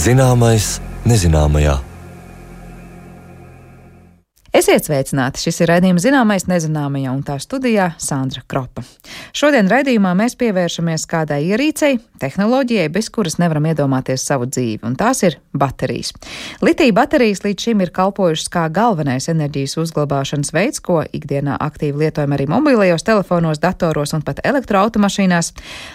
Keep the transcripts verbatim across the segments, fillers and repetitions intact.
Zināmais nezināmajā. Esiet sveicināti! Šis ir raidījums Zināmais nezināmajā, un tā studijā Sandra Kropa. Šodien raidījumā mēs pievēršamies kādai ierīcei, tehnoloģijai, bez kuras nevaram iedomāties savu dzīvi, un tās ir baterijas. Litija baterijas līdz šim ir kalpojušas kā galvenais enerģijas uzglabāšanas veids, ko ikdienā aktīvi lietojam arī mobilajos telefonos, datoros un pat elektroautomašīnās.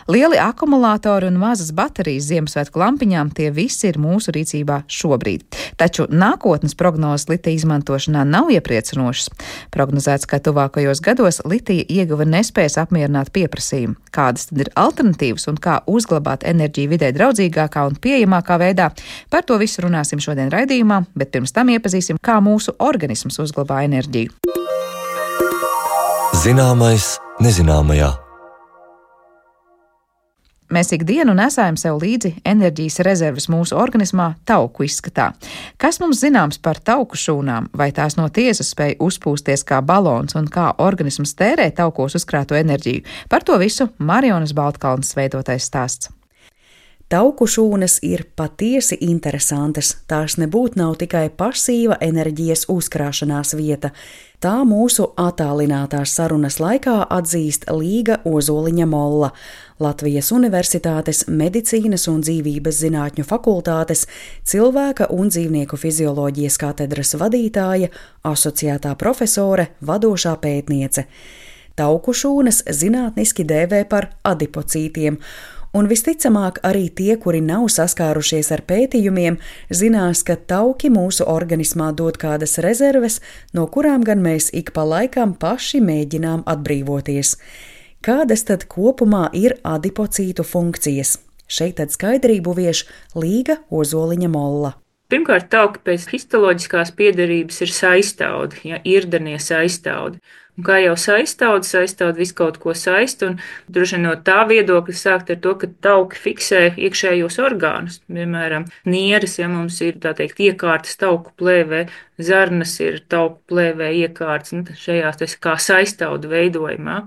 Lieli akumulātori un mazas baterijas Ziemassvētku lampiņām tie visi ir mūsu rīcībā šobrīd. Taču nākotnes prognozes litija izmantošanā nav iepriecinošas. Prognozēts, ka tuvākajos gados litija ieguve nespēs apmierināt pieprasījumu. Kādas tad ir alternatīvas un kā uzglabāt enerģiju vidē draudzīgākā un pieejamākā veidā? Par to visu runāsim šodien raidījumā, bet pirms tam iepazīsim, kā mūsu organisms uzglabā enerģiju. Zināmais nezināmajā. Mēs ikdienu nesājam sev līdzi enerģijas rezerves mūsu organismā tauku izskatā. Kas mums zināms par tauku šūnām? Vai tās no tiesas spēj uzpūsties kā balons un kā organisms tērē taukos uzkrāto enerģiju? Par to visu Marijonas Baltkalnes veidotais stāsts. Tauku šūnas ir patiesi interesantas. Tās nebūtu nav tikai pasīva enerģijas uzkrāšanās vieta. Tā mūsu attālinātās sarunas laikā atzīst Līga Ozoliņa Molla, Latvijas Universitātes Medicīnas un dzīvības zinātņu fakultātes cilvēka un dzīvnieku fizioloģijas katedras vadītāja, asociētā profesore, vadošā pētniece. Tauku šūnas zinātniski dēvē par adipocītiem, un visticamāk arī tie, kuri nav saskārušies ar pētījumiem, zinās, ka tauki mūsu organismā dod kādas rezerves, no kurām gan mēs ik pa laikam paši mēģinām atbrīvoties. Kādas tad kopumā ir adipocītu funkcijas? Šeit tad skaidrību vieš Līga Ozoliņa Molla. Pirmkārt, tauki pēc histoloģiskās piederības ir saistaudi, ja, irdenie saistaudi. Un kā jau saistaudi, saistaudi visu kaut ko saist, un droši no tā viedokļa sākt ar to, ka tauki fiksē iekšējos orgānus. Piemēram, nieres, ja mums ir, tā teikt, iekārtas tauku plēvē, zarnas ir tauku plēvē iekārtas, un šajās tas kā saistaudu veidojumā.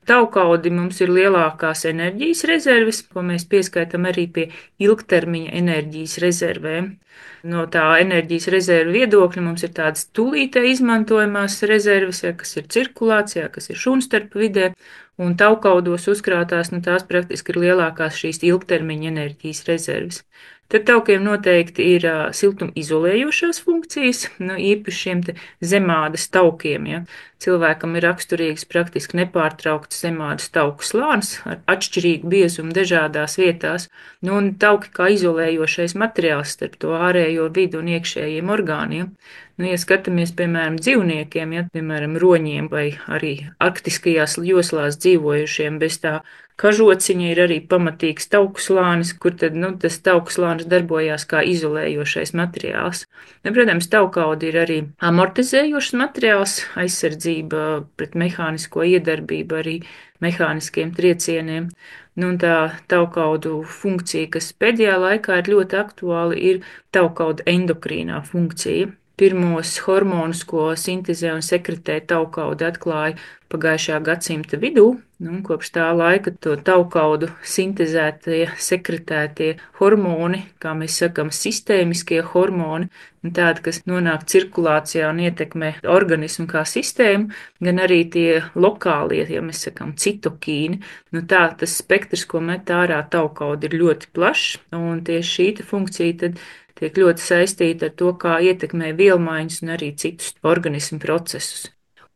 Taukaudi mums ir lielākās enerģijas rezerves, ko mēs pieskaitam arī pie ilgtermiņa enerģijas rezervēm. No tā enerģijas rezervu viedokļa mums ir tādas tūlītē izmantojamās rezerves, ja, kas ir cirkulācijā, kas ir šūnstarpu vidē, un taukaudos uzkrātās, nu tās praktiski ir lielākās šīs ilgtermiņa enerģijas rezerves. Tad taukiem noteikti ir uh, siltuma izolējošās funkcijas, nu, īpaši šiem te zemādas taukiem. Ja. Cilvēkam ir raksturīgs praktiski nepārtraukts zemādas tauku slānis ar atšķirīgu biezumu dažādās vietās, nu, un tauki kā izolējošais materiāls starp to ārējo vidu un iekšējiem orgāniem. Nu, ja skatāmies, piemēram, dzīvniekiem, ja, piemēram, roņiem vai arī arktiskajās joslās dzīvojušiem, bez tā kažociņa ir arī pamatīgs tauku slānis, kur tad, nu, tas tauku slānis darbojās kā izolējošais materiāls. Nu, protams, taukaudi ir arī amortizējošs materiāls, aizsardzība pret mehānisko iedarbību, arī mehāniskiem triecieniem. Nu, un tā taukaudu funkcija, kas pēdējā laikā ir ļoti aktuāla, ir taukauda endokrīnā funkcija. Pirmos hormonus, ko sintezē un sekretē taukauda, atklāja pagājušā gadsimta vidū. Nu, kopš tā laika to taukaudu sintezētie, sekretētie hormoni, kā mēs sakam, sistēmiskie hormoni, tādi, kas nonāk cirkulācijā un ietekmē organismu kā sistēmu, gan arī tie lokālie, ja mēs sakam, citokīni. Nu, tā tas spektrs, ko met ārā taukauda, ir ļoti plašs, un tieši šī funkcija tad tiek ļoti saistīta ar to, kā ietekmē vielmaiņas un arī citus organismu procesus.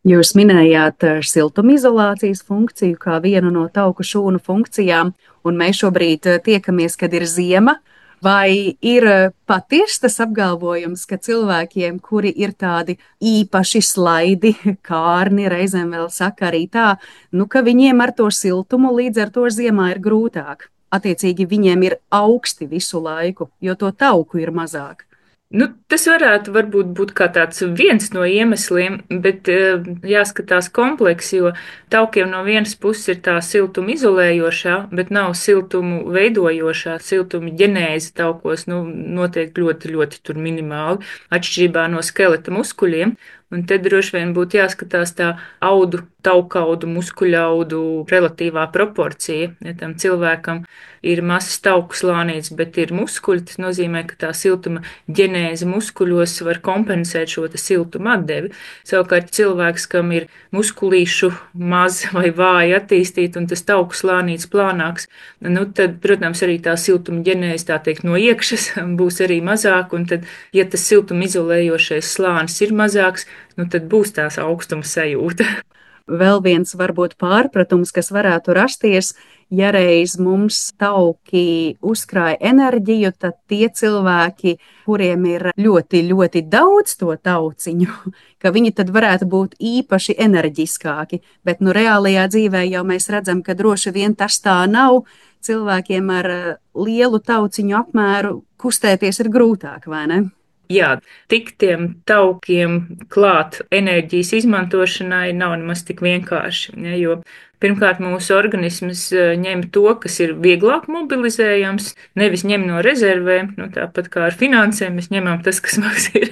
Jūs minējāt siltumizolācijas funkciju kā vienu no tauku šūnu funkcijām, un mēs šobrīd tiekamies, kad ir ziema. Vai ir patiesi tas apgalvojums, ka cilvēkiem, kuri ir tādi īpaši slaidi, kārni, reizēm vēl saka arī tā, nu, ka viņiem ar to siltumu līdz ar to ziemā ir grūtāk? Attiecīgi viņiem ir augsti visu laiku, jo to tauku ir mazāk. Nu, tas varētu varbūt būt kā tāds viens no iemesliem, bet jāskatās kompleks, jo taukiem no vienas puses ir tā siltuma izolējošā, bet nav siltumu veidojošā, siltuma ģenēze taukos, nu, notiek ļoti, ļoti tur minimāli, atšķirībā no skeleta muskuļiem. Un te droši vien būtu jāskatās tā audu, taukaudu, muskuļaudu relatīvā proporcija. Ja tam cilvēkam ir mazs tauku slānīts, bet ir muskuļi, tas nozīmē, ka tā siltuma ģenēze muskuļos var kompensēt šo siltuma atdevi. Savukārt cilvēks, kam ir muskulīšu maz vai vāji attīstīti un tas tauku slānīts plānāks, nu tad, protams, arī tā siltuma ģenēze, tā teikt, no iekšas būs arī mazāk, un tad, ja tas siltuma izolējošais slānis ir mazāks, nu tad būs tās augstuma sajūta. Vēl viens varbūt pārpratums, kas varētu rasties, ja reiz mums tauki uzkrāja enerģiju, tad tie cilvēki, kuriem ir ļoti, ļoti daudz to tauciņu, ka viņi tad varētu būt īpaši enerģiskāki, bet nu reālajā dzīvē jau mēs redzam, ka droši vien tas tā nav. Cilvēkiem ar lielu tauciņu apmēru kustēties ir grūtāk, vai ne? Jā, tik tiem taukiem klāt enerģijas izmantošanai nav nemaz tik vienkārši, ja, jo pirmkārt mūsu organisms ņem to, kas ir vieglāk mobilizējams, nevis ņem no rezervēm, nu, tāpat kā ar finansēm, mēs ņemam tas, kas mums ir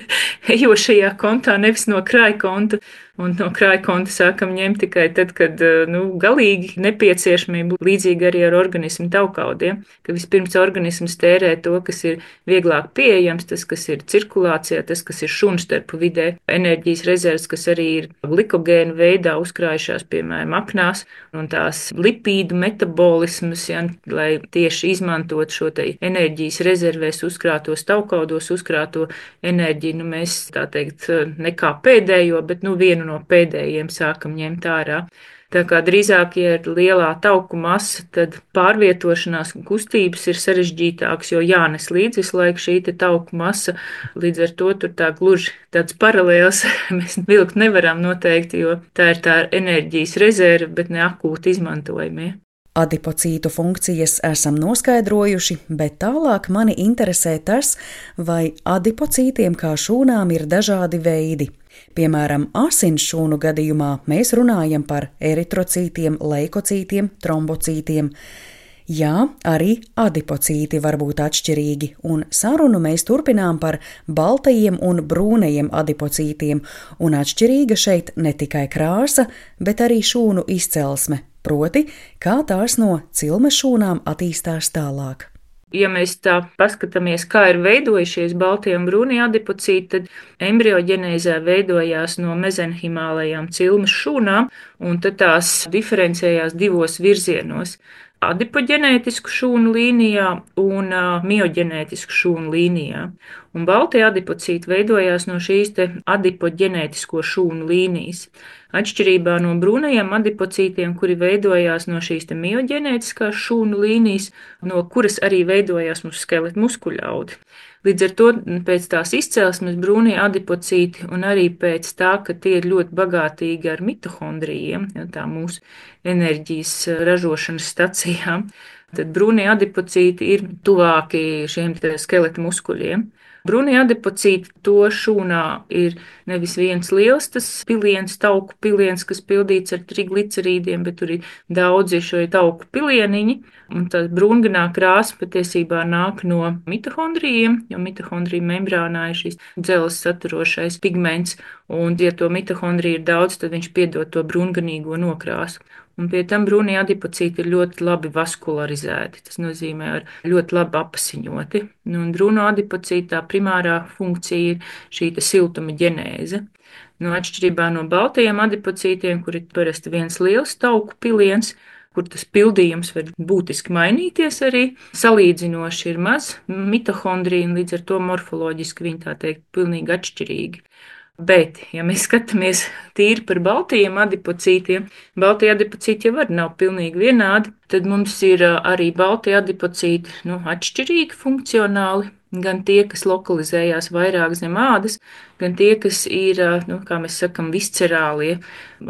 ejošajā kontā, nevis no krājkonta. Un no krājkonta sākam ņemt tikai tad, kad nu, galīgi nepieciešamība, līdzīgi arī ar organismu taukaudiem, ka vispirms organisms tērē to, kas ir vieglāk pieejams, tas, kas ir cirkulācijā, tas, kas ir šūnstarpu vidē, enerģijas rezerves, kas arī ir glikogēnu veidā uzkrājušās, piemēram, apnās, un tās lipīdu metabolismus, ja, lai tieši izmantot šo te enerģijas rezervēs uzkrātos taukaudos, uzkrāto enerģiju, nu mēs tā teikt nekā pēdējo, bet nu vienu no pēdējiem sākam ņemt ārā. Tā kā drīzāk, ja ir lielā tauku masa, tad pārvietošanās un kustības ir sarežģītākas, jo jānes līdz visu laiku šī te tauku masa, līdz ar to tur tā gluži tāds paralēls mēs vilkt nevaram noteikti, jo tā ir tā enerģijas rezerve, bet ne akūti izmantojamie. Adipocītu funkcijas esam noskaidrojuši, bet tālāk mani interesē tas, vai adipocītiem kā šūnām ir dažādi veidi. Piemēram, asinsšūnu gadījumā mēs runājam par eritrocītiem, leikocītiem, trombocītiem. Jā, arī adipocīti var būt atšķirīgi, un sarunu mēs turpinām par baltajiem un brūnajiem adipocītiem, un atšķirīga šeit ne tikai krāsa, bet arī šūnu izcelsme, proti, kā tās no cilmes šūnām attīstās tālāk. Ja mēs tā paskatāmies, kā ir veidojušies baltie un brūnie adipocīti, tad embrioģenēzē veidojās no mezenhimālajām cilmes šūnām, un tad tās diferencējās divos virzienos – adipoģenētisku šūnu līnijā un mioģenētisku šūnu līnijā. Un baltie adipocīti veidojās no šīs te adipoģenētisko šūnu līnijas. Atšķirībā no brūnajiem adipocītiem, kuri veidojās no šīs te mioģenētiskās šūnu līnijas, no kuras arī veidojās mūsu skeleta muskuļaudi. Līdz ar to pēc tās izcelsmes brūnie adipocīti un arī pēc tā, ka tie ir ļoti bagātīgi ar mitohondrijiem, ja, tā mūsu enerģijas ražošanas stacijām, tad brūnie adipocīti ir tuvāki šiem skeleta muskuļiem. Brūnie adipocīti to šūnā ir nevis viens liels tas piliens, tauku piliens, kas pildīts ar triglicerīdiem, bet tur ir daudzi šo tauku pilieniņi, un tā brūnganā krāsa patiesībā nāk no mitohondrijiem, jo mitohondriju membrānā ir šis dzeles saturošais pigments, un ja to mitohondriju ir daudz, tad viņš piedod to brūnganīgo nokrāsu. Un pie tam brūnie adipocīti ir ļoti labi vaskularizēti, tas nozīmē ar ļoti labi apasiņoti. Un brūno adipocītu tā primārā funkcija ir šī siltuma ģenēze. No atšķirībā no baltajiem adipocītiem, kur ir parasti viens liels tauku piliens, kur tas pildījums var būtiski mainīties arī, salīdzinoši ir maz mitohondriju, un līdz ar to morfoloģiski viņi tā teikt pilnīgi atšķirīgi. Bet, ja mēs skatāmies tīri par baltajiem adipocītiem, baltie adipocīti jau arī nav pilnīgi vienādi, tad mums ir arī baltie adipocīti nu, atšķirīgi funkcionāli, gan tie, kas lokalizējās vairāk zem ādas, gan tie, kas ir, nu, kā mēs sakam, viscerālie,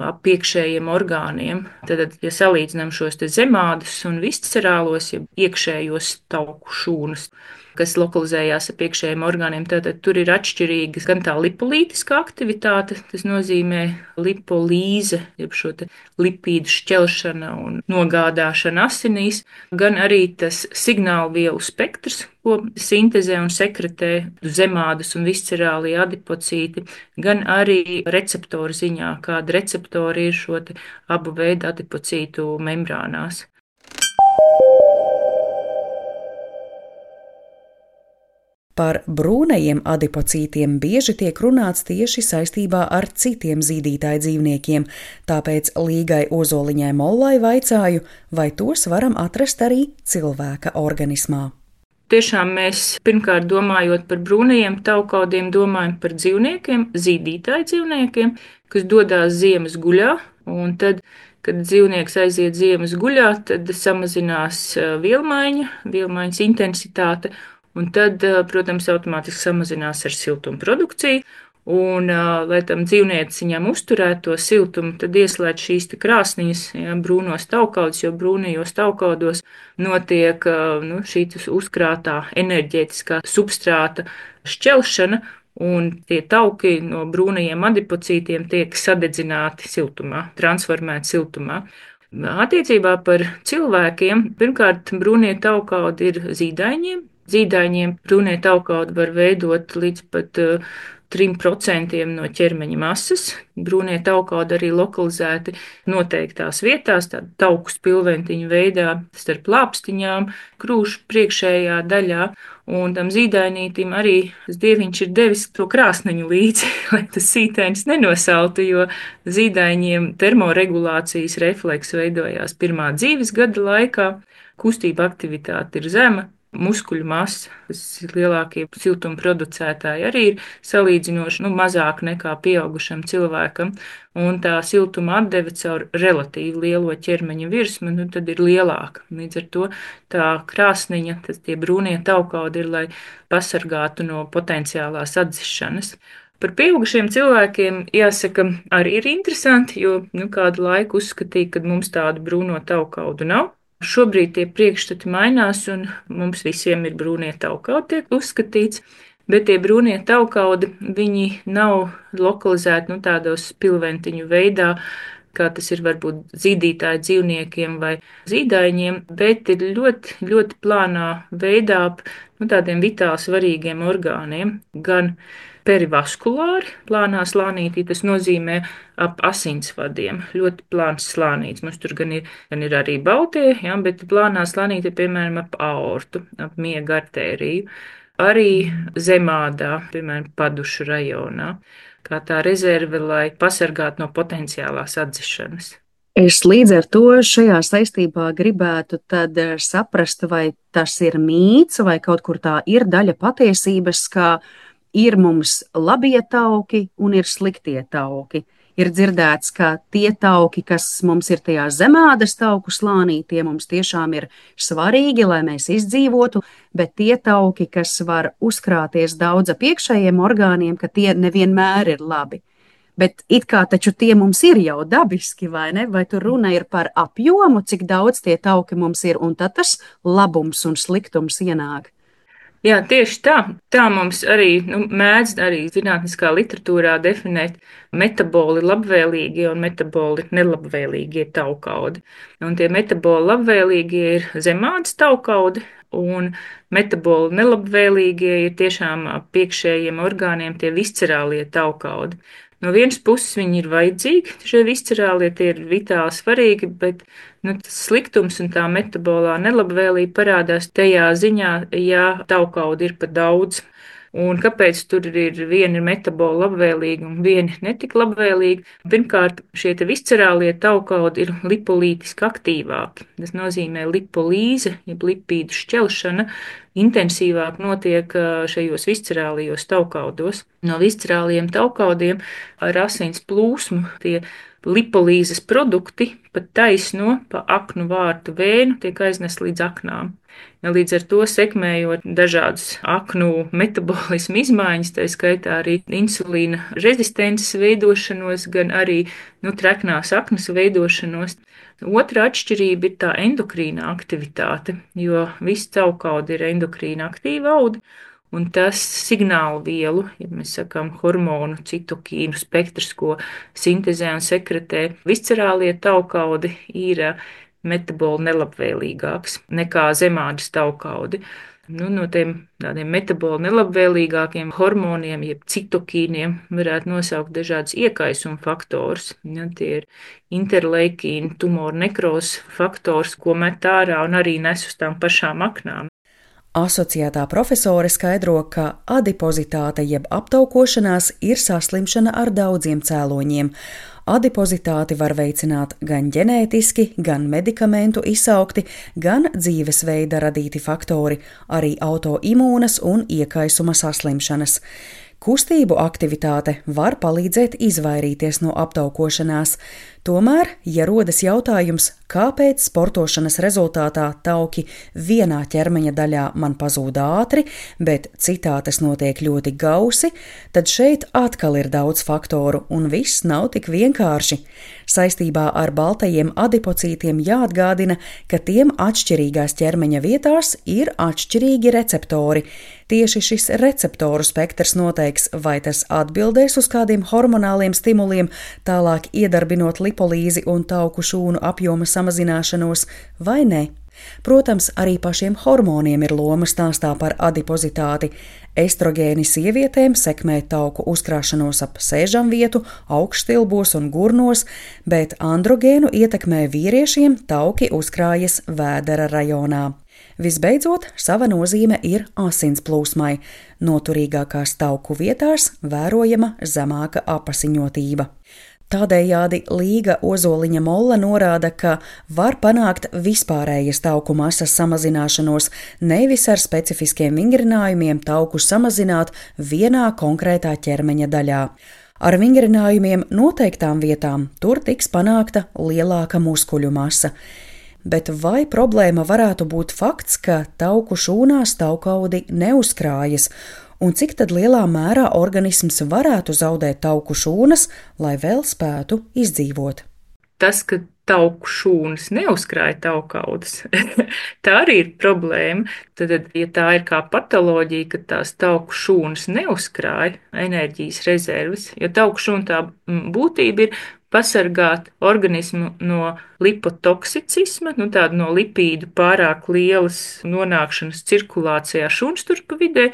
ap iekšējiem orgāniem. Tad, ja salīdzinām šos te zemādus un viscerālos, ja iekšējos tauku šūnas, kas lokalizējās ap iekšējiem orgāniem, tad tur ir atšķirīgas gan tā lipolītiskā aktivitāte, tas nozīmē lipolīze, jeb šo te lipīdu šķelšana un nogādāšana asinīs, gan arī tas signālu vielu spektrs, ko sintezē un sekretē zemādas un viscerālie adipocīti, gan arī receptoru ziņā, kāda receptori ir šo te abu veidu adipocītu membrānās. Par brūnajiem adipocītiem bieži tiek runāts tieši saistībā ar citiem zīdītāju dzīvniekiem, tāpēc Līgai Ozoliņai Mollai vaicāju, vai tos varam atrast arī cilvēka organismā. Tiešām mēs pirmkārt domājot par brūnajiem taukaudiem, domājam par dzīvniekiem, zīdītāju dzīvniekiem, kas dodās ziemas guļā, un tad, kad dzīvnieks aiziet ziemas guļā, tad samazinās vielmaiņa, vielmaiņas intensitāte, un tad, protams, automātiski samazinās ar siltumu produkciju, un, lai tam dzīvnieciņam uzturētu to siltumu, tad ieslēdz šīs te krāsniņas, ja, brūnos taukaudus, jo brūnajos taukaudos notiek nu, šī uzkrātā enerģētiskā substrāta šķelšana, un tie tauki no brūnajiem adipocītiem tiek sadedzināti siltumā, transformēti siltumā. Attiecībā par cilvēkiem, pirmkārt, brūnie taukaudi ir zīdaiņiem. Zīdaiņiem brūnie taukaudi var veidot līdz pat uh, trim procentiem no ķermeņa masas. Brūnie taukaudi arī lokalizēti noteiktās vietās, tādu tauku spilventiņu veidā starp lāpstiņām, krūšu priekšējā daļā. Un tam zīdainītim arī dieviņš ir devis to krāsniņu līdzi, lai tas sītainis nenosaltu, jo zīdaiņiem termoregulācijas refleks veidojās pirmā dzīves gada laikā, kustība aktivitāte ir zema. Muskuļu masa, kas ir lielākie siltuma producētāji, arī ir salīdzinoši nu, mazāk nekā pieaugušam cilvēkam, un tā siltuma atdeve caur relatīvi lielo ķermeņa virsmu, nu, tad ir lielāka. Līdz ar to tā krāsniņa, tas tie brūnie taukaudi ir, lai pasargātu no potenciālās atdzišanas. Par pieaugušiem cilvēkiem, jāsaka, arī ir interesanti, jo nu, kādu laiku uzskatīja, ka mums tādu brūno taukaudu nav. Šobrīd tie priekšstati mainās, un mums visiem ir brūnie taukaudi, tiek uzskatīts, bet tie brūnie taukaudi, viņi nav lokalizēti nu, tādos spilventiņu veidā, kā tas ir varbūt zīdītāju dzīvniekiem vai zīdaiņiem, bet ir ļoti, ļoti plānā veidā nu, tādiem vitāli svarīgiem orgāniem, gan perivaskulāri, plānā slānītī, tas nozīmē ap asinsvadiem, ļoti plāns slānīts. Mums tur gan ir, gan ir arī baltie, ja, bet plānā slānīti, piemēram, ap aortu, ap miega artēriju, arī zemādā, piemēram, padušu rajonā, kā tā rezerve, lai pasargātu no potenciālās atdzišanas. Es līdz ar to šajā saistībā gribētu tad saprast, vai tas ir mīts, vai kaut kur tā ir daļa patiesības, kā ir mums labie tauki un ir sliktie tauki. Ir dzirdēts, ka tie tauki, kas mums ir tajā zemādas tauku slānī, tie mums tiešām ir svarīgi, lai mēs izdzīvotu, bet tie tauki, kas var uzkrāties daudz ap iekšējiem orgāniem, ka tie nevienmēr ir labi. Bet it kā taču tie mums ir jau dabiski, vai ne? Vai tur runa ir par apjomu, cik daudz tie tauki mums ir, un tad tas labums un sliktums ienāk? Jā, tieši tā. Tā mums arī nu, mēdz arī zinātniskā literatūrā definēt metaboli labvēlīgie un metaboli nelabvēlīgie taukaudi. Un tie metaboli labvēlīgie ir zemādas taukaudi, un metaboli nelabvēlīgie ir tiešām piekšējiem orgāniem tie viscerālie taukaudi. No vienas puses viņi ir vajadzīgi, šie viscerālie tie ir vitāli svarīgi, bet nu, tas sliktums un tā metabolā nelabvēlība parādās tajā ziņā, ja taukaudi ir pa daudz. Un kāpēc tur ir vieni metaboli labvēlīgi un vieni netik labvēlīgi? Pirmkārt, šie te viscerālie taukaudi ir lipolītiski aktīvāki. Tas nozīmē lipolīze, jeb lipīdu šķelšana, intensīvāk notiek šajos viscerālajos taukaudos. No viscerālajiem taukaudiem ar asins plūsmu tie lipolīzes produkti pat taisno pa aknu vārtu vēju tiek aiznest līdz aknām. Ja līdz ar to sekmējot dažādas aknu metabolismu izmaiņas, tā skaitā arī insulīna rezistences veidošanos, gan arī nu, treknās aknas veidošanos. Otra atšķirība ir tā endokrīna aktivitāte, jo viss caukaudi ir endokrīna aktīva audi, un tas signālu vielu, ja mēs sakām hormonu, citokīnu spektrs, ko sintezē un sekretē viscerālie taukaudi, ir metaboli nelabvēlīgāks nekā zemādas taukaudi. Nu, no tiem tādiem metaboli nelabvēlīgākiem hormoniem, jeb citokīniem, varētu nosaukt dažādus iekaisuma faktorus. Ja, tie ir interleikīni, tumoru nekrozes faktors, ko met ārā un arī nes uz tām pašām aknām. Asociētā profesore skaidro, ka adipozitāte jeb aptaukošanās ir saslimšana ar daudziem cēloņiem. Adipozitāti var veicināt gan ģenētiski, gan medikamentu izsaukti, gan dzīvesveida radīti faktori, arī autoimūnas un iekaisuma saslimšanas. Kustību aktivitāte var palīdzēt izvairīties no aptaukošanās. Tomēr, ja rodas jautājums, kāpēc sportošanas rezultātā tauki vienā ķermeņa daļā man pazūd ātri, bet citā tas notiek ļoti gausi, tad šeit atkal ir daudz faktoru un viss nav tik vienkārši. Saistībā ar baltajiem adipocītiem jāatgādina, ka tiem atšķirīgās ķermeņa vietās ir atšķirīgi receptori. Tieši šis receptoru spektrs noteiks, vai tas atbildēs uz kādiem hormonāliem stimuliem, tālāk iedarbinot lipolīzi un tauku šūnu apjoma samazināšanos, vai ne. Protams, arī pašiem hormoniem ir loma stāstā par adipozitāti. Estrogēni sievietēm sekmē tauku uzkrāšanos ap sēžamvietu, augšstilbos un gurnos, bet androgēnu ietekmē vīriešiem tauki uzkrājas vēdera rajonā. Visbeidzot, sava nozīme ir asins plūsmai. Noturīgākās tauku vietās vērojama zemāka apasiņotība. Tādējādi Līga Ozoliņa Molla norāda, ka var panākt vispārējas tauku masas samazināšanos, nevis ar specifiskiem vingrinājumiem tauku samazināt vienā konkrētā ķermeņa daļā. Ar vingrinājumiem noteiktām vietām tur tiks panākta lielāka muskuļu masa. Bet vai problēma varētu būt fakts, ka tauku šūnās taukaudi neuzkrājas, un cik tad lielā mērā organisms varētu zaudēt tauku šūnas, lai vēl spētu izdzīvot? Tas, ka tauku šūnas neuzkrāja taukaudus, tā arī ir problēma. Tad, ja tā ir kā patoloģija, ka tās tauku šūnas neuzkrāja enerģijas rezerves, jo tauku šūna tā būtība ir pasargāt organismu no lipotoksicisma, nu tāda no lipīdu pārāk lielas nonākšanas cirkulācijā šūnsturpa vidē,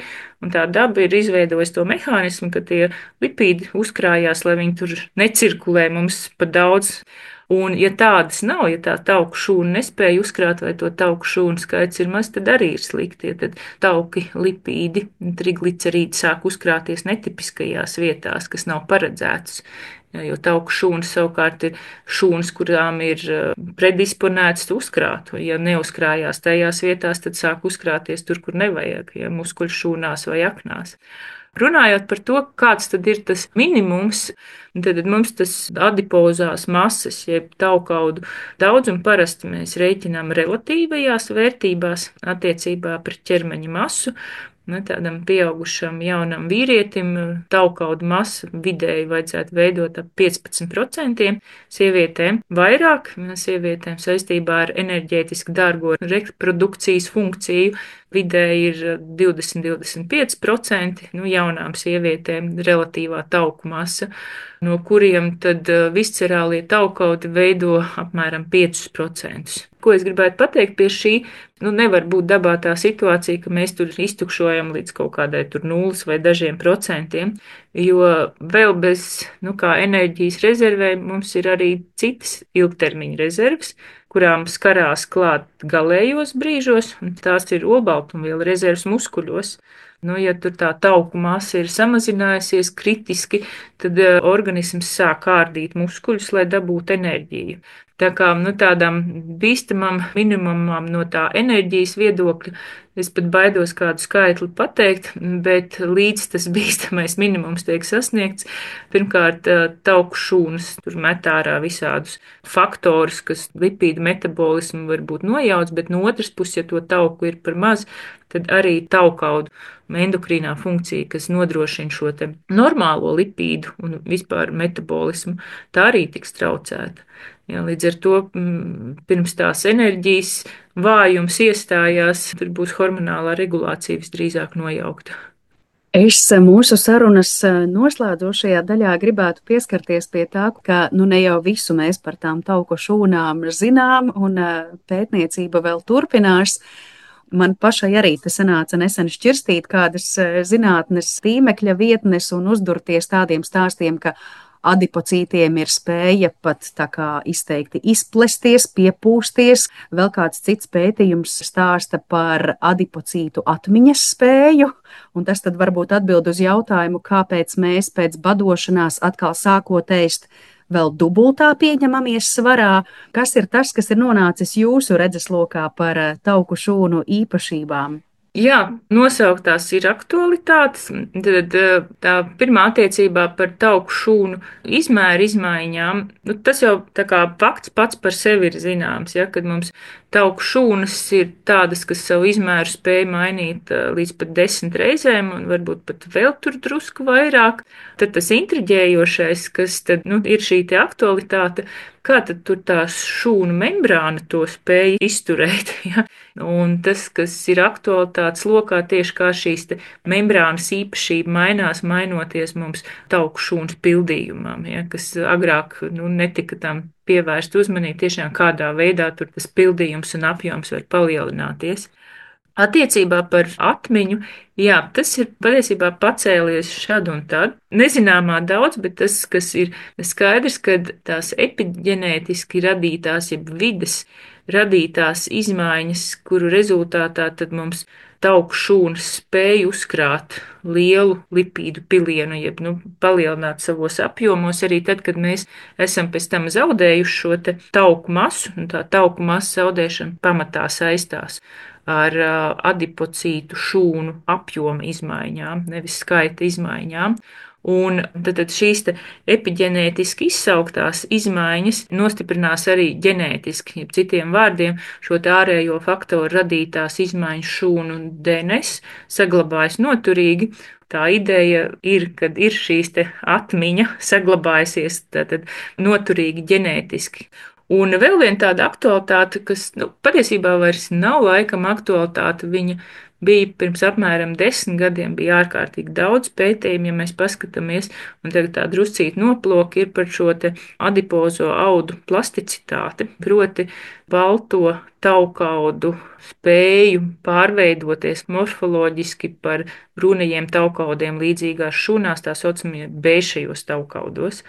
un tā daba ir izveidojusi to mehānismu, ka tie lipīdi uzkrājās, lai viņi tur necirkulē mums pa daudz. Un, ja tādas nav, ja tā tauku šūna nespēja uzkrāt vai to tauku šūnu skaits ir maz, tad arī ir slikti. Ja tad tauki, lipīdi, triglicerīdi sāk uzkrāties netipiskajās vietās, kas nav paredzētas. Jo tauku šūnas savukārt ir šūnas, kurām ir predisponētas uzkrāt. Ja neuzkrājās tajās vietās, tad sāk uzkrāties tur, kur nevajag, ja muskuļu šūnās vai aknās. Runājot par to, kāds tad ir tas minimums, tad mums tas adipozās masas, jeb taukaudu daudzumu parasti mēs rēķinām relatīvajās vērtībās attiecībā pret ķermeņa masu. Ne, tādam pieaugušam jaunam vīrietim taukaudu masa vidēji vajadzētu veidot ap piecpadsmit procentiem, sievietēm vairāk, sievietēm saistībā ar enerģētiski dārgo reprodukcijas funkciju vidēji ir divdesmit līdz divdesmit pieci procenti, nu, jaunām sievietēm relatīvā tauku masa, no kuriem tad viscerālie taukaudi veido apmēram piecus procentus. Ko es gribētu pateikt pie šī, nu nevar būt dabā tā situācija, ka mēs tur iztukšojam līdz kaut kādai tur nulles vai dažiem procentiem, jo vēl bez, nu kā enerģijas rezervēm mums ir arī citas ilgtermiņa rezerves, kurām skarās klāt galējos brīžos, un tās ir olbaltumvielu rezerves muskuļos. Nu, ja tur tā tauku masa ir samazinājusies kritiski, tad organisms sāk ārdīt muskuļus, lai dabūtu enerģiju. Tā kā nu, tādam bīstamam minimumam no tā enerģijas viedokļa, es pat baidos kādu skaitli pateikt, bet līdz tas bīstamais minimums tiek sasniegts, pirmkārt tauku šūnas tur met ārā visādus faktorus, kas lipīdu metabolismu varbūt nojauc, bet no otras puses, ja to tauku ir par maz, tad arī taukaudu endokrīnā funkcija, kas nodrošina šo te normālo lipīdu un vispār metabolismu, tā arī tiks traucēta. Jā, līdz ar to pirms tās enerģijas vājums iestājās, tur būs hormonālā regulācija visdrīzāk nojaukta. Es mūsu sarunas noslēdzošajā daļā gribētu pieskarties pie tā, ka nu ne jau visu mēs par tām tauku šūnām zinām, un pētniecība vēl turpinās. Man pašai arī te sanāca nesen šķirstīt kādas zinātnes tīmekļa vietnes un uzdurties tādiem stāstiem, ka adipocītiem ir spēja pat tā kā izteikti izplesties, piepūsties. Vēl kāds cits pētījums stāsta par adipocītu atmiņas spēju, un tas tad varbūt atbild uz jautājumu, kāpēc mēs pēc badošanās atkal sākot ēst vēl dubultā pieņemamies svarā. Kas ir tas, kas ir nonācis jūsu redzeslokā par tauku šūnu īpašībām? Jā, nosauktās ir aktualitātes. Tad tā pirmā attiecībā par tauku šūnu izmēru izmaiņām, nu, tas jau tā kā fakts pats par sevi ir zināms, ja, kad mums tauku šūnas ir tādas, kas savu izmēru spēj mainīt līdz pat desmit reizēm un varbūt pat vēl tur drusku vairāk. Tad tas intriģējošais, kas tad, nu, ir šī te aktualitāte, kā tad tur tās šūnu membrāna to spēja izturēt, ja? Un tas, kas ir aktualitātes lokā, tieši kā šīs te membrānas īpašība mainās, mainoties mums tauku šūnas pildījumam, ja? Kas agrāk, nu, netika tam pievērst uzmanību, tiešām kādā veidā tur tas pildījums un apjoms var palielināties. Attiecībā par atmiņu, jā, tas ir patiesībā pacēlies šad un tad. Nezināmā daudz, bet tas, kas ir skaidrs, ka tās epiģenētiski radītās, jeb vides radītās izmaiņas, kuru rezultātā tad mums tauku šūnas spēja uzkrāt lielu lipīdu pilienu, jeb nu, palielināt savos apjomos, arī tad, kad mēs esam pēc tam zaudējuši šo te tauku masu, un tā tauku masu zaudēšana pamatā saistās ar adipocītu šūnu apjoma izmaiņām, nevis skaita izmaiņām. Un tad šīs epiģenētiski izsauktās izmaiņas nostiprinās arī ģenētiski, jeb citiem vārdiem šo ārējo faktoru radītās izmaiņas šūnu un D N S saglabājas noturīgi. Tā ideja ir, kad ir šīs te atmiņa saglabājusies tātad noturīgi ģenētiski. Un vēl viena tāda aktualitāte, kas nu, patiesībā vairs nav laikam aktualitāte, viņa bija pirms apmēram desmit gadiem, bija ārkārtīgi daudz pētījumu, ja mēs paskatāmies, un tagad tā druscīt noploka ir par šo te adipozo audu plasticitāti, proti balto taukaudu spēju pārveidoties morfoloģiski par brūnajiem taukaudiem līdzīgās šūnās, tā saucamie bēšajos taukaudos.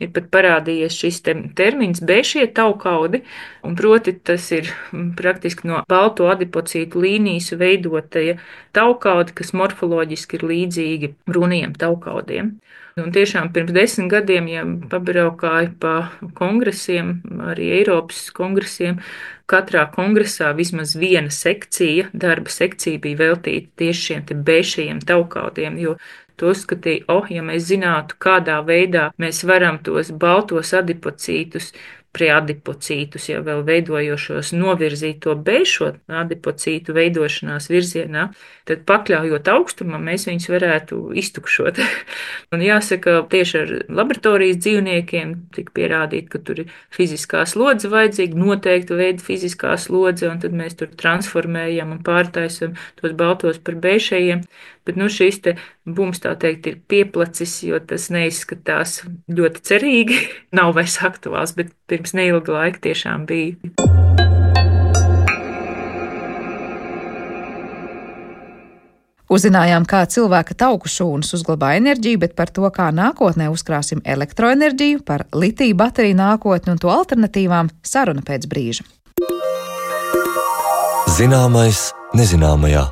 Ir pat parādījies šis te termins bēšie taukaudi, un proti tas ir praktiski no balto adipocītu līnijas veidotie taukaudi, kas morfoloģiski ir līdzīgi brūnajiem taukaudiem. Un tiešām pirms desmit gadiem, ja pabraukāju pa kongresiem, arī Eiropas kongresiem, katrā kongresā vismaz viena sekcija, darba sekcija bija veltīta tieši šiem te bēšajiem taukaudiem, jo to uzskatīja, oh, ja mēs zinātu, kādā veidā mēs varam tos baltos adipocītus, preadipocītus, jau vēl veidojošos, novirzīt to bēšo adipocītu veidošanās virzienā, tad pakļaujot augstumam, mēs viņus varētu iztukšot. Un jāsaka, tieši ar laboratorijas dzīvniekiem tika pierādīt, ka tur ir fiziskā slodze vajadzīga, noteikta veida fiziskā slodze, un tad mēs tur transformējam un pārtaisam tos baltos par bēšajiem. Bet nu, šis te bums, tā teikt, ir pieplacis, jo tas neizskatās ļoti cerīgi. Nav vairs aktuāls, bet pirms neilga laika tiešām bija. Uzzinājām, kā cilvēka tauku šūnas uzglabā enerģiju, bet par to, kā nākotnē uzkrāsim elektroenerģiju, par litiju bateriju nākotni un to alternatīvām, saruna pēc brīža. Zināmais nezināmajā.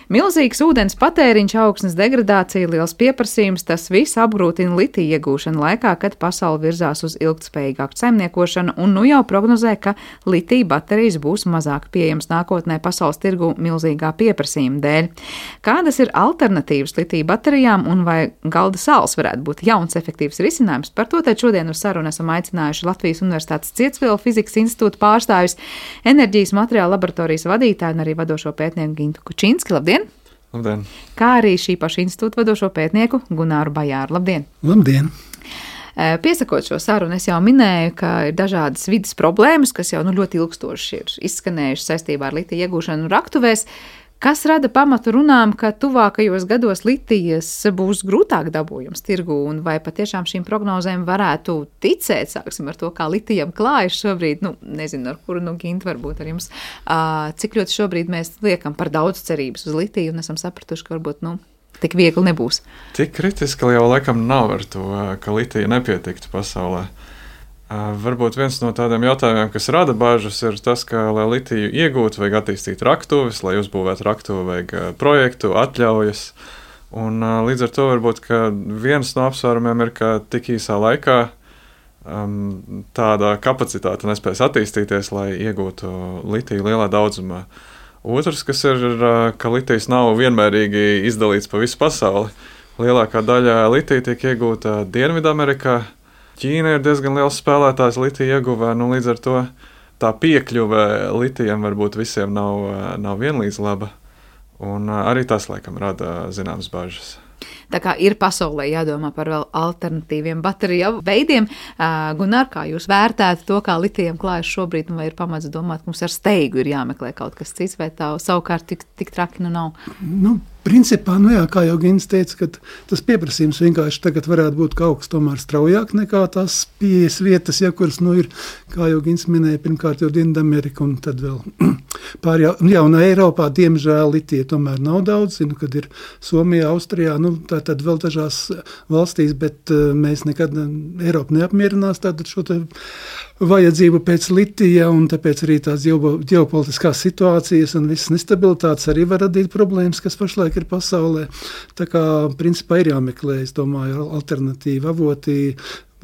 Milzīgs ūdens patēriņš, augstnes degradācija, liels pieprasījums, tas viss apgrūtina litija iegūšanu laikā, kad pasaule virzās uz ilgtspējīgāku saimniekošanu, un nu jau prognozē, ka litija baterijas būs mazāk pieejamas nākotnē pasaules tirgu milzīgā pieprasījuma dēļ. Kādas ir alternatīvas litija baterijām un vai galda sāls varētu būt jauns efektīvs risinājums? Par to tēt šodien uz sarunu esam aicinājuši Latvijas Universitātes Cietsvilu fizikas institūta pārstāvis, enerģijas materiāla laboratorijas vadītāju un arī vadošo pētnieku Gintu Kučinski. Labdien! Labdien! Kā arī šī paša institūta vadošo pētnieku Gunāru Bajāru. Labdien! Labdien! Piesakot šo sarunu, es jau minēju, ka ir dažādas vidas problēmas, kas jau nu, ļoti ilgstoši ir izskanējušas saistībā ar litija iegūšanu raktuvēs. Kas rada pamatu runām, ka tuvākajos gados litijas būs grūtāk dabūjams tirgu, un vai patiešām šīm prognozēm varētu ticēt? Sāksim ar to, kā litijam klājas šobrīd, nu, nezinu, ar kuru, nu, Ginta, varbūt ar jums, uh, cik ļoti šobrīd mēs liekam par daudz cerības uz litiju un esam sapratuši, ka varbūt, nu, tik viegli nebūs. Tik kritiski jau laikam nav ar to, ka litija nepietiktu pasaulē. Uh, varbūt viens no tādiem jautājumiem, kas rada bāžas, ir tas, ka, lai litiju iegūtu, vajag attīstīt raktuves, lai uzbūvētu raktuvi, vajag uh, projektu, atļaujas. Un uh, līdz ar to varbūt, ka viens no apsvērumiem ir, ka tik īsā laikā um, tāda kapacitāte nespējas attīstīties, lai iegūtu litiju lielā daudzumā. Otrs, kas ir, uh, ka litijs nav vienmērīgi izdalīts pa visu pasauli. Lielākā daļa litija tiek iegūta Dienvidamerikā. Ķīna ir diezgan liels spēlētājs litija ieguvē, nu līdz ar to tā piekļuve litijam varbūt visiem nav, nav vienlīdz laba, un arī tas, laikam, rada zināmas bažas. Tā kā ir pasaulē jādomā par vēl alternatīviem bateriju veidiem. Gunār, kā jūs vērtētu to, kā litijam klājas šobrīd, vai ir pamats domāt, ka mums ar steigu ir jāmeklē kaut kas cits, vai tā savukārt tik, tik traki nu nav? Nu, principā, nu jā, kā jau Gins teica, ka tas pieprasījums vienkārši tagad varētu būt kaut kas tomēr straujāk nekā tās pieejas vietas, ja, kuras, nu, ir, kā jau Gins minēja, pirmkārt jau Dienvidamerika un tad vēl pār jau, jā, un Eiropā, diemžēl, litija tomēr nav daudz, zinu, kad ir Somijā, Austrijā, nu, tā tad vēl dažās valstīs, bet uh, mēs nekad Eiropa neapmierinās tātad šo te vajadzību pēc litija, un tāpēc arī tās ģeopolitiskās situācijas un visas nestabilitātes arī var radīt problēmas, kas pašlaik ir pasaulē. Tā kā, principā, ir jāmeklē, es domāju, alternatīvi avoti.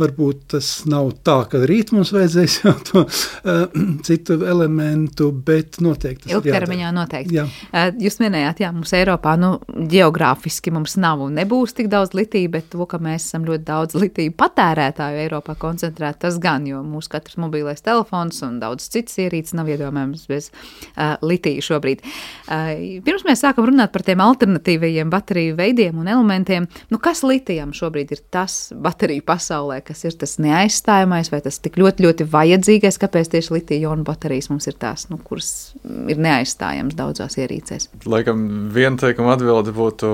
Varbūt tas nav tā, ka rīt mums vajadzēs jau to uh, citu elementu, bet noteikti tas ilgtermiņā noteikti. Jā. Uh, jūs minējāt, jā, mums Eiropā, nu, geogrāfiski mums nav un nebūs tik daudz litija, bet to, ka mēs esam ļoti daudz litiju patērētāju Eiropā koncentrēt, tas gan, jo mūsu katrs mobilais telefons un daudz citas ierīces nav iedomājams bez uh, litija šobrīd. Uh, pirms mēs sākam runāt par tiem alternatīvajiem bateriju veidiem un elementiem, nu, kas litijam šobrīd ir tas bateriju pasaulē, kas ir tas neaizstājamais vai tas tik ļoti, ļoti vajadzīgais, kāpēc tieši litija-ionu baterijas mums ir tās, nu, kuras ir neaizstājams daudzās ierīcēs? Laikam viena teikuma atbilde būtu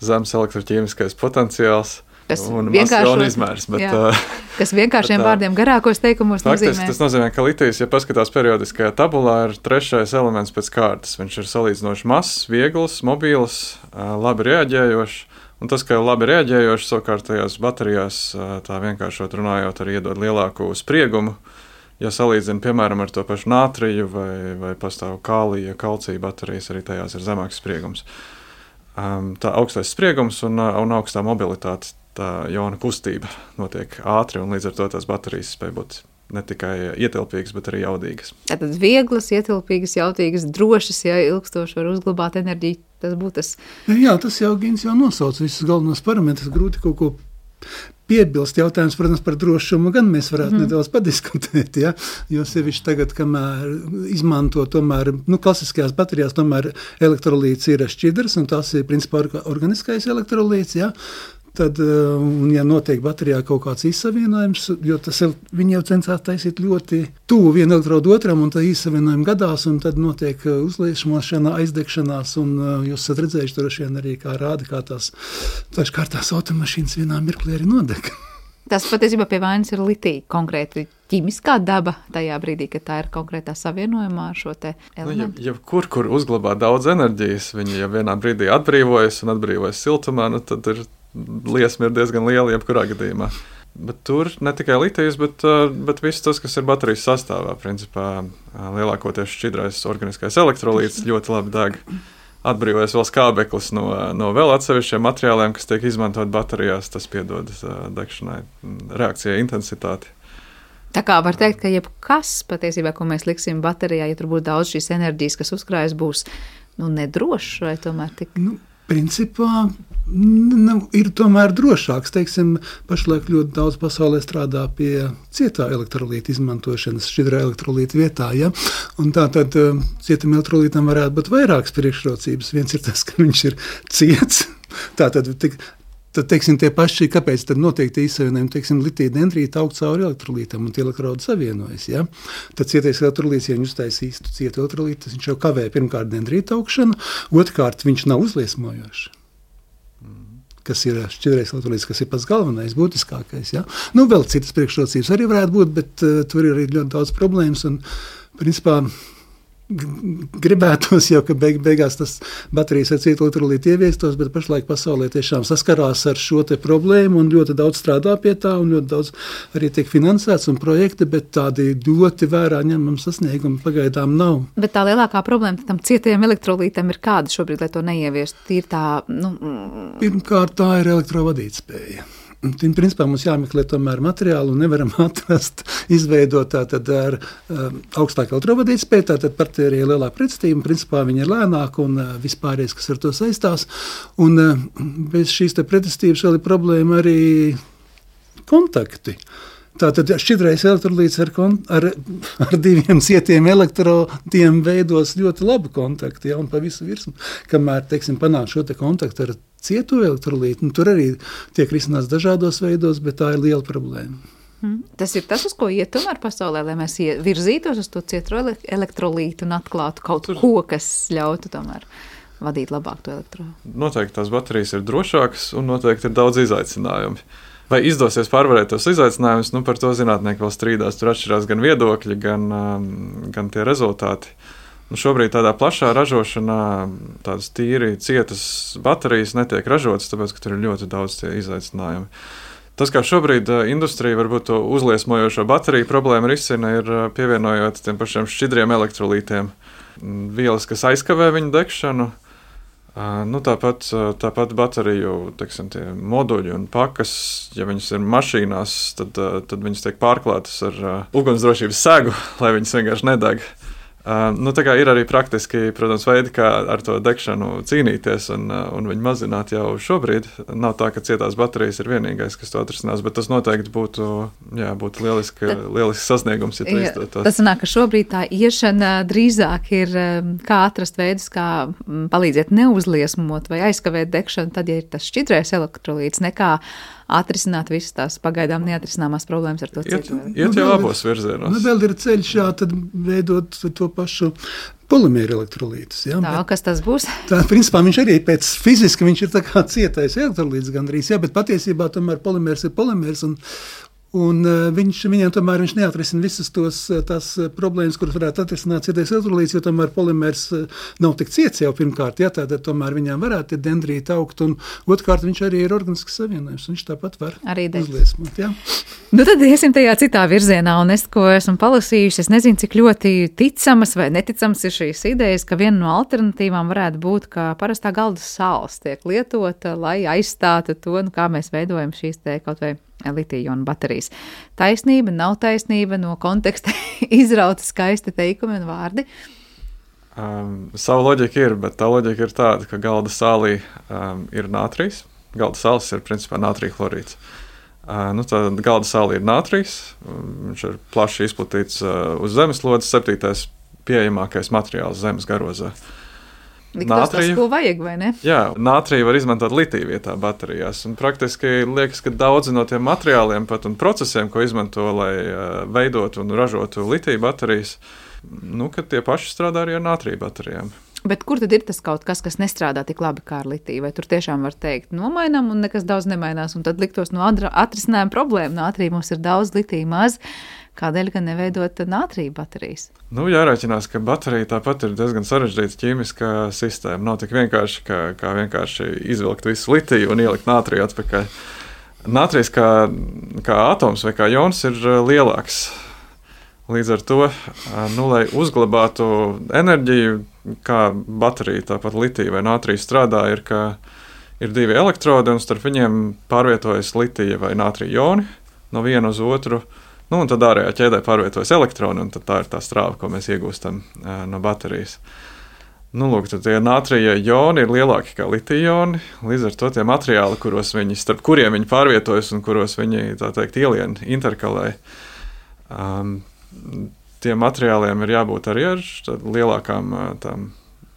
zemes elektroķīmiskais potenciāls kas un masas izmērs. Bet, jā, kas vienkāršiem bet, vārdiem garākos teikumos faktiski, nozīmē. Tas nozīmē, ka litijs, ja paskatās periodiskajā tabulā, ir trešais elements pēc kārtas. Viņš ir salīdzinoši mazs, viegls, mobīls, labi reaģējošs. Un tas, ka labi reaģējoši savukārt tajās baterijās, tā vienkāršot runājot, arī iedod lielāku spriegumu. Ja salīdzina, piemēram, ar to pašu nātriju vai, vai pastāv kālija, kalcija baterijas, arī tajās ir zemāks spriegums. Tā augstais spriegums un, un augstā mobilitāte, tā jona kustība notiek ātri, un līdz ar to tās baterijas spēj būt ne tikai ietilpīgas, bet arī jaudīgas. Tātad vieglas, ietilpīgas, jaudīgas, drošas, ja ilgstoši var uzglabāt enerģiju, tas būtu tas. Jā, tas jau Gins jau nosauc visus galvenos parametrus, grūti kaut ko piebilst. Jautājums, protams, par drošumu gan mēs varētu mm. nedaudz padiskutēt, ja? Jo sevišķi tagad, kamēr izmanto tomēr, nu, klasiskajās baterijās tomēr elektrolīts ir šķidrs, un tas ir principā organiskais elektrolīts, ja? Tad, un ja notiek baterijā kaut kāds izsavienojums, jo tas ir, viņi jau censās taisīt ļoti tuvu vienu elektrodu otram, un tā izsavienojumi gadās, un tad notiek uzliesmošana, aizdegšanās, un jūs esat redzējuši droši vien arī, kā rāda, kā tās dažkārtās automašīnas vienā mirklī arī nodeg. Tas patiesībā pie vainas ir litija, konkrēti ķimiskā daba tajā brīdī, kad tā ir konkrētā savienojumā ar šo te elementu. Nu, ja, ja kur, kur uzglabā daudz enerģijas, viņi ja vienā brīdī atbrīvojas un atbrīvojas siltumā, nu, tad ir liesma ir diezgan liela jebkurā gadījumā. Bet tur ne tikai litijas, bet, bet viss tas, kas ir baterijas sastāvā. Principā lielākoties šķidrais organiskais elektrolīts ļoti labi deg. atbrīvojas vēl skābeklis no, no vēl atsevišķiem materiāliem, kas tiek izmantot baterijās, tas piedod degšanai, reakcijai intensitāti. Tā kā var teikt, ka jebkas patiesībā, ko mēs liksim baterijā, ja tur būtu daudz šīs enerģijas, kas uzkrājas, būs nu, nedrošs vai tomēr tik? Nu, principā nu, ir tomēr drošāks. Teiksim, pašlaik ļoti daudz pasaulē strādā pie cietā elektrolīta izmantošanas šķidrā elektrolīta vietā. Ja? Un tā tad cietam elektrolītam varētu būt vairākas priekšrocības. Viens ir tas, ka viņš ir ciets. Tā tad tik Tad, teiksim, tie paši, kāpēc tad notiek tie izsavienojumi, teiksim, litija dendrīta aug cauri elektrolītam un tie elektrodi savienojas, ja? Tad cietais elektrolīts, ja viņš uztais īstu cietu elektrolītu, viņš jau kavē pirmkārt dendrīta augšanu, otrkārt viņš nav uzliesmojošs, kas ir šķidrais elektrolīts, kas ir pats galvenais, būtiskākais, ja? Nu, vēl citas priekšrocības arī varētu būt, bet uh, tur ir arī ļoti daudz problēmas un, principā, gribētos jau, ka beig, beigās tas baterijas ar cietu elektrolītu ieviestos, bet pašlaik pasaulē tiešām saskarās ar šo te problēmu un ļoti daudz strādā pie tā un ļoti daudz arī tiek finansēts un projekti, bet tādi ļoti vērā ņemam sasniegumi pagaidām nav. Bet tā lielākā problēma tam cietiem elektrolītam ir kāda šobrīd, lai to neieviestu? Ir tā, nu... Pirmkārt, tā ir elektrovadītspēja. Un, principā mums jāmeklē tomēr materiālu un nevaram atrast, izveidot tātad ar um, augstāku elektrovadītspēju, tātad partērija lielā pretstība, principā viņa ir lēnāka un uh, vispārējais, kas ar to saistās. Un uh, bez šīs te pretestības vēl ir problēma arī kontakti. Tātad šķidrais elektrolīts ar, ar, ar diviem cietiem elektrodiem veidos ļoti labu kontaktu, ja, un pa visu virsmu, kamēr, teiksim, panāk šo te kontaktu ar cietu elektrolītu, un tur arī tiek risināts dažādos veidos, bet tā ir liela problēma. Hmm. Tas ir tas, uz ko iet tomēr pasaulē, lai mēs virzītos uz to cietu elektrolītu un atklātu kaut ko, kas ļautu tomēr vadīt labāk to elektrolītu. Noteikti tās baterijas ir drošākas un noteikti ir daudz izaicinājumu. Vai izdosies pārvarēt tos izaicinājumus, nu par to zinātnieki vēl strīdās. Tur atšķirās gan viedokļi, gan, gan tie rezultāti. Nu, šobrīd tādā plašā ražošanā tādas tīri cietas baterijas netiek ražotas, tāpēc, ka tur ir ļoti daudz tie izaicinājumi. Tas, kā šobrīd industrija varbūt to uzliesmojošo bateriju problēmu risina, ir pievienojot tiem pašiem šķidriem elektrolītiem vielas, kas aizkavē viņu degšanu. Nu, tāpat, tāpat bateriju, teiksim, tie moduļi un pakas, ja viņas ir mašīnās, tad, tad viņas tiek pārklātas ar ugunsdrošības segu, lai viņas vienkārši nedeg. Nu, tā kā ir arī praktiski, protams, veidi, kā ar to degšanu cīnīties un, un viņu mazināt jau šobrīd. Nav tā, ka cietās baterijas ir vienīgais, kas to atrisinās, bet tas noteikti būtu, jā, būtu lieliski, lielisks sasniegums, ja to izdotos. Tas sanāk, ka šobrīd tā iešana drīzāk ir, kā atrast veidus, kā palīdzēt neuzliesmot vai aizkavēt degšanu, tad, ja ir tas šķidrais elektrolīts, nekā atrisināt visas tās pagaidām neatrisināmās problēmas ar to citu. Iet, iet jau abos virzienos. Nu, vēl ir ceļš, jā, tad veidot to pašu polimēru elektrolītus. Ja? Tā, bet, kas tas būs? Tā, principā, viņš arī pēc fiziski, viņš ir tā kā cietais elektrolīts gandrīz, jā, bet patiesībā tomēr polimērs ir polimērs un Un viņš, viņam tomēr viņš neatrisina visas tos, tās problēmas, kuras varētu atrisināt cietais elektrolīts, jo tomēr polimērs nav tik ciets jau pirmkārt, ja, tātad tomēr viņam varētu dendrīti augt, un otrkārt viņš arī ir organisks savienojums, viņš tāpat var arī uzliesmot. Ja. Nu tad iesim tajā citā virzienā, un es, ko esmu palasījusi, es nezinu, cik ļoti ticamas vai neticamas ir šīs idejas, ka viena no alternatīvām varētu būt, ka parastā galda sāls tiek lietota, lai aizstātu to, nu, kā mēs veidojam šīs te kaut vai litiju-ionu baterijas. Taisnība, nav taisnība, no konteksta izrauta skaisti teikumi un vārdi? Um, savu loģiku ir, bet tā loģika ir tāda, ka galda sālī um, ir nātrijs. Galda sāls ir principā nātrija chlorīds. Uh, nu, tā galda sālī ir nātrijs, viņš ir plaši izplatīts uh, uz zemeslodes, septītais pieejamākais materiāls zemes garozā. Nātriju, tas, ko vajag, vai ne? Jā, nātriju var izmantot litiju vietā baterijās. Un praktiski liekas, ka daudzi no tiem materiāliem pat un procesiem, ko izmanto, lai uh, veidotu un ražotu litiju baterijas, nu, ka tie paši strādā arī ar nātriju baterijām. Bet kur tad ir tas kaut kas, kas nestrādā tik labi kā ar litiju? Vai tur tiešām var teikt, nomainām un nekas daudz nemainās, un tad liktos no atrisinājuma problēma. Nātrija mums ir daudz, litija maz. Kādēļ gan neveidot nātrija baterijas? Nu, jārēķinās, ka baterija tāpat ir diezgan sarežģīta ķīmiskā sistēma. Nav tik vienkārši, kā, kā vienkārši izvilkt visu litiju un ielikt nātriju atpakaļ. Nātrijs kā, kā atoms vai kā jons ir lielāks. Līdz ar to, nu, lai uzglabātu enerģiju, kā baterija, tāpat litija vai nātrija strādā, ir, ka ir divi elektrodi un starp viņiem pārvietojas litija vai nātrija joni no viena uz otru. Nu, un tad ārējā ķēdē pārvietojas elektroni, un tā ir tā strāva, ko mēs iegūstam no baterijas. Nu, lūk, tad tie nātrija joni ir lielāki kā litija joni, līdz ar to tie materiāli, kuros viņi, starp kuriem viņi pārvietojas un kuros viņi, tā teikt, ielien, interkalē, um, tiem materiāliem ir jābūt arī ar lielākām tām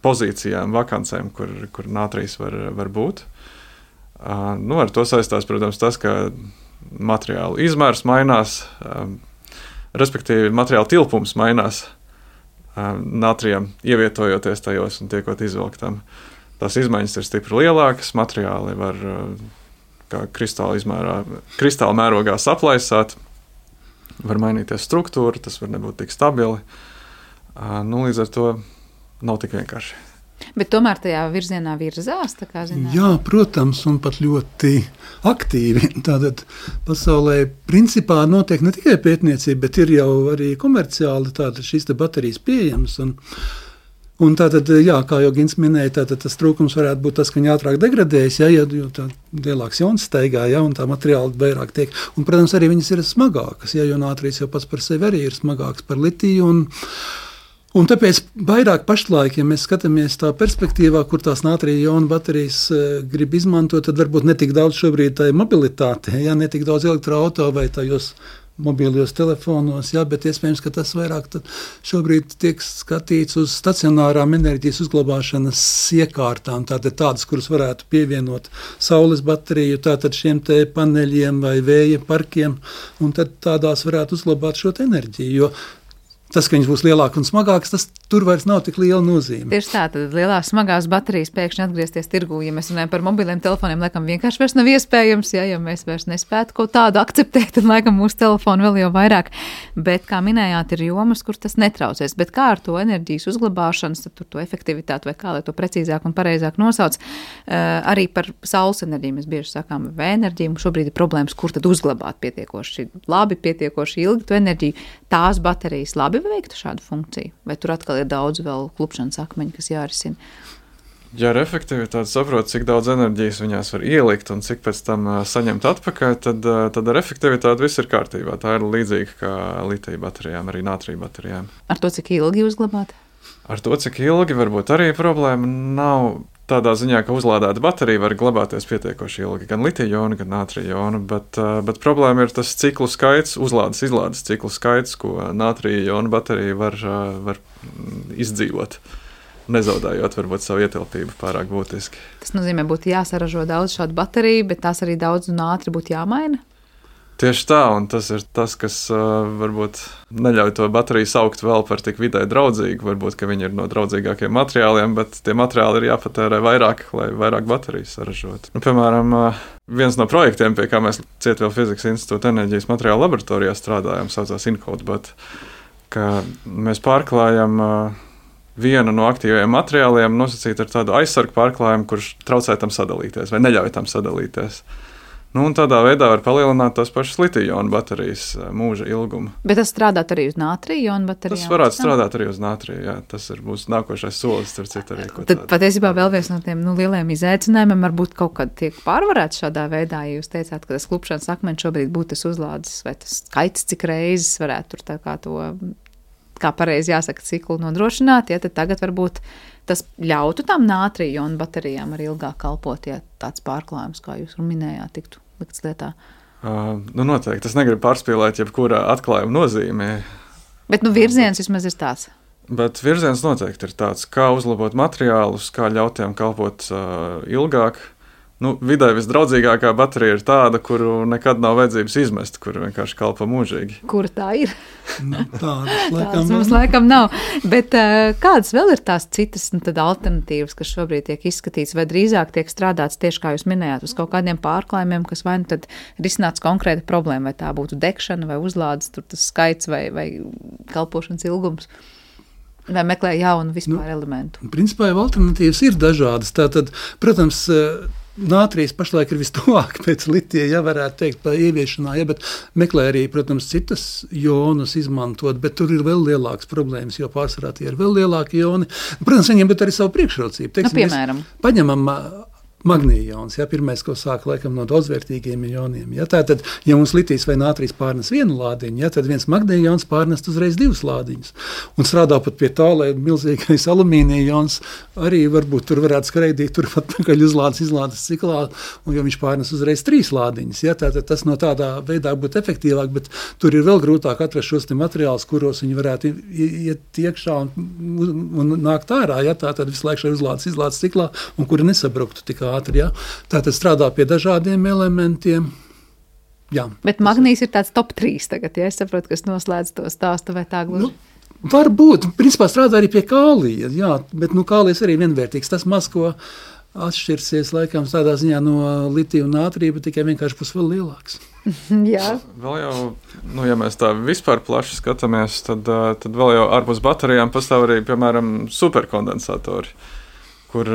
pozīcijām, vakancēm, kur, kur nātrijas var, var būt. Uh, nu, ar to saistās, protams, tas, ka materiālu izmērs mainās, um, respektīvi materiālu tilpums mainās, nātrijam ievietojot tajos un tiekot izvilktam. Tās izmaiņas ir stipri lielākas, materiāli var kā kristāla izmērā, kristāla mērogā saplaisāt, var mainīties struktūra, tas var nebūt tik stabili. Nu, līdz ar to nav tik vienkārši. Bet tomēr tajā virzienā virzās, tā kā zināt? Jā, protams, un pat ļoti aktīvi. Tātad pasaulē principā notiek ne tikai pētniecība, bet ir jau arī komerciāli tātad šīs te baterijas pieejamas. Un, un tātad, jā, kā jau Gins minēja, tātad tas trūkums varētu būt tas, ka viņi ātrāk degradējas, ja, jo tā lielāks jons steigā, ja, un tā materiāli vairāk tiek. Un, protams, arī viņas ir smagākas, ja, jo nātrijas jau pats par sevi arī ir smagāks par litiju. Un, Un tāpēc vairāk pašlaik, ja mēs skatāmies tā perspektīvā, kur tās nātrija jona baterijas uh, grib izmantot, tad varbūt netik daudz šobrīd tā mobilitāte, ja, netik daudz elektroauto vai tajos mobilos telefonos, ja, bet iespējams, ka tas vairāk šobrīd tiek skatīts uz stacionārām enerģijas uzglabāšanas iekārtām, tātad tādas, kuras varētu pievienot saules bateriju, tātad šiem te paneļiem vai vēja parkiem, un tad tādās varētu uzglabāt šo enerģiju, jo tas, ka viņas būs lielākas un smagākas, tas tur vairs nav tik liela nozīme. Tieši tā, tad lielās smagās baterijas pēkšņi atgriezties tirgū, ja mēs runājam par mobiliem telefoniem, laikam vienkārši vairs nav iespējams, ja, ja mēs vairs nespētu kaut tādu akceptēt, tad laikam mūsu telefonu vēl jau vairāk. Bet, kā minējāt, ir jomas, kur tas netraucēs. Bet kā ar to enerģijas uzglabāšanas, tad tur to efektivitāti vai kā, lai to precīzāk un pareizāk nosauc, arī par saules enerģiju mēs bieži sakām, vai enerģiju, mums šobrīd ir problēmas, kur tad uzglabāt pietiekoši labi, pietiekoši ilgi to enerģiju. Tās baterijas labi veiktu šādu funkciju? Vai tur atkal ir daudz vēl klupšanas akmeņu, kas jārisina? Ja ar efektivitāti saprot, cik daudz enerģijas viņās var ielikt un cik pēc tam uh, saņemt atpakaļ, tad, uh, tad ar efektivitāti viss ir kārtībā. Tā ir līdzīga kā litija baterijām, arī nātrija baterijām. Ar to, cik ilgi uzglabāt? Ar to, cik ilgi, varbūt arī problēma nav tādā ziņā, ka uzlādēta baterija var glabāties pietiekoši ilgi, gan litija jona, gan nātrija jona, bet, bet problēma ir tas ciklu skaits, uzlādes izlādes ciklu skaits, ko nātrija jona baterija var, var izdzīvot, nezaudējot varbūt savu ietilpību pārāk būtiski. Tas nozīmē, būtu jāsaražo daudz šādu bateriju, bet tās arī daudz un ātri būtu jāmaina? Tieši tā, un tas ir tas, kas uh, varbūt neļauj to bateriju saukt vēl par tik vidē draudzīgu. Varbūt, ka viņi ir no draudzīgākiem materiāliem, bet tie materiāli ir jāpatērē vairāk, lai vairāk baterijas saražotu. Nu, piemēram, uh, viens no projektiem, pie kā mēs Cietvielu fizikas institūta enerģijas materiālu laboratorijā strādājam, saucās InCodeBot, ka mēs pārklājam uh, vienu no aktīvajiem materiāliem, nosacīt ar tādu aizsargu pārklājumu, kurš traucē tam sadalīties vai neļauj tam sadalīties. Nu, un tādā veidā var palielināt tās pašas litija jona baterijas mūža ilgumu. Bet tas strādāt arī uz nātrija jona baterijām? Tas varētu strādāt arī uz nātrija, jā. Tas ir mūsu nākošais solis, starp citu arī. Tad patiesībā vēl viens no tiem nu, lieliem izaicinājumiem varbūt kaut kad tiek pārvarēts šādā veidā, ja jūs teicāt, ka tas klupšanas akmeņš šobrīd būtu tas uzlādes vai tas skaits, cik reizes varētu tur tā kā to, kā pareizi jāsaka, ciklu nodrošināt, ja tad tagad varbūt tas ļautu tām nātrija jona baterijām arī ilgāk kalpot, ja tāds pārklājums, kā jūs minējāt, tiktu likts lietā? Uh, nu noteikti. Es negribu pārspīlēt jebkurā atklājuma nozīmē. Bet nu virziens vismaz ir tāds. Bet virziens noteikti ir tāds, kā uzlabot materiālus, kā ļaut tiem kalpot uh, ilgāk. Nu, vidē visdraudzīgākā baterija ir tāda, kuru nekad nav vajadzības izmest, kur vienkārši kalpo mūžīgi. Kura tā ir? Nu, tādas laikam tādas mums laikam nav. Bet uh, kādas vēl ir tās citas nu, alternatīvas, kas šobrīd tiek izskatīts, vai drīzāk tiek strādāts tieši, kā jūs minējāt, uz kaut kādiem pārklājumiem, kas vai nu tad risināts konkrēta problēma, vai tā būtu degšana, vai uzlādes, tur tas skaits, vai, vai kalpošanas ilgums? Vai meklē jaunu vispār nu, elementu? Principā jau alternatīvas ir dažādas. Tātad, protams, nātrijas pašlaik ir vistuvāk pēc litija, ja varētu teikt, pa ieviešanā, ja, bet meklē arī, protams, citas jonus izmantot, bet tur ir vēl lielākas problēmas, jo pārsvarā tie ir vēl lielāki joni. Protams, viņiem bet arī savu priekšrocību. Teiksim, nu, piemēram? Paņemam magnija jons, ja, pirmais, ko sāk laikam no daudzvērtīgiem joniem. Ja, tātad, ja mums litijs vai nātrijas pārnes vienu lādiņu, ja, tad viens magnija jons pārnest uzreiz divus lādiņus. Un strādā pat pie tā, lai milzīgais alumīnija jons arī varbūt tur varētu skreidīt, tur pat pakaļ uzlādes, izlādes ciklā, un jo viņš pārnes uzreiz trīs lādiņus. Ja, tātad tas no tādā veidā būtu efektīvāk, bet tur ir vēl grūtāk atrast šos te materiālus, kuros viņi varētu iet iekšā un, un nākt ārā. Ja, tātad visu laiku šai uzlādes, izlādes ciklā, un kuri nesabruktu tikā ātri, ja? Tātad strādā pie dažādiem elementiem. Jā. Bet magnīs ir tāds top trīs tagad, ja es saprotu, kas noslēdz to stāstu vai tā gluži? Nu, varbūt, principā strādā arī pie kālija, jā, bet nu kālijas arī vienvērtīgs. Tas maz, ko atšķirsies laikam tādā ziņā no litija un nātrija, bet tikai vienkārši būs vēl lielāks. Jā. Vēl jau, nu, ja mēs tā vispār plaši skatāmies, tad, tad vēl jau ārpus baterijām pastāv arī, piemēram, superkondensatori. Kur,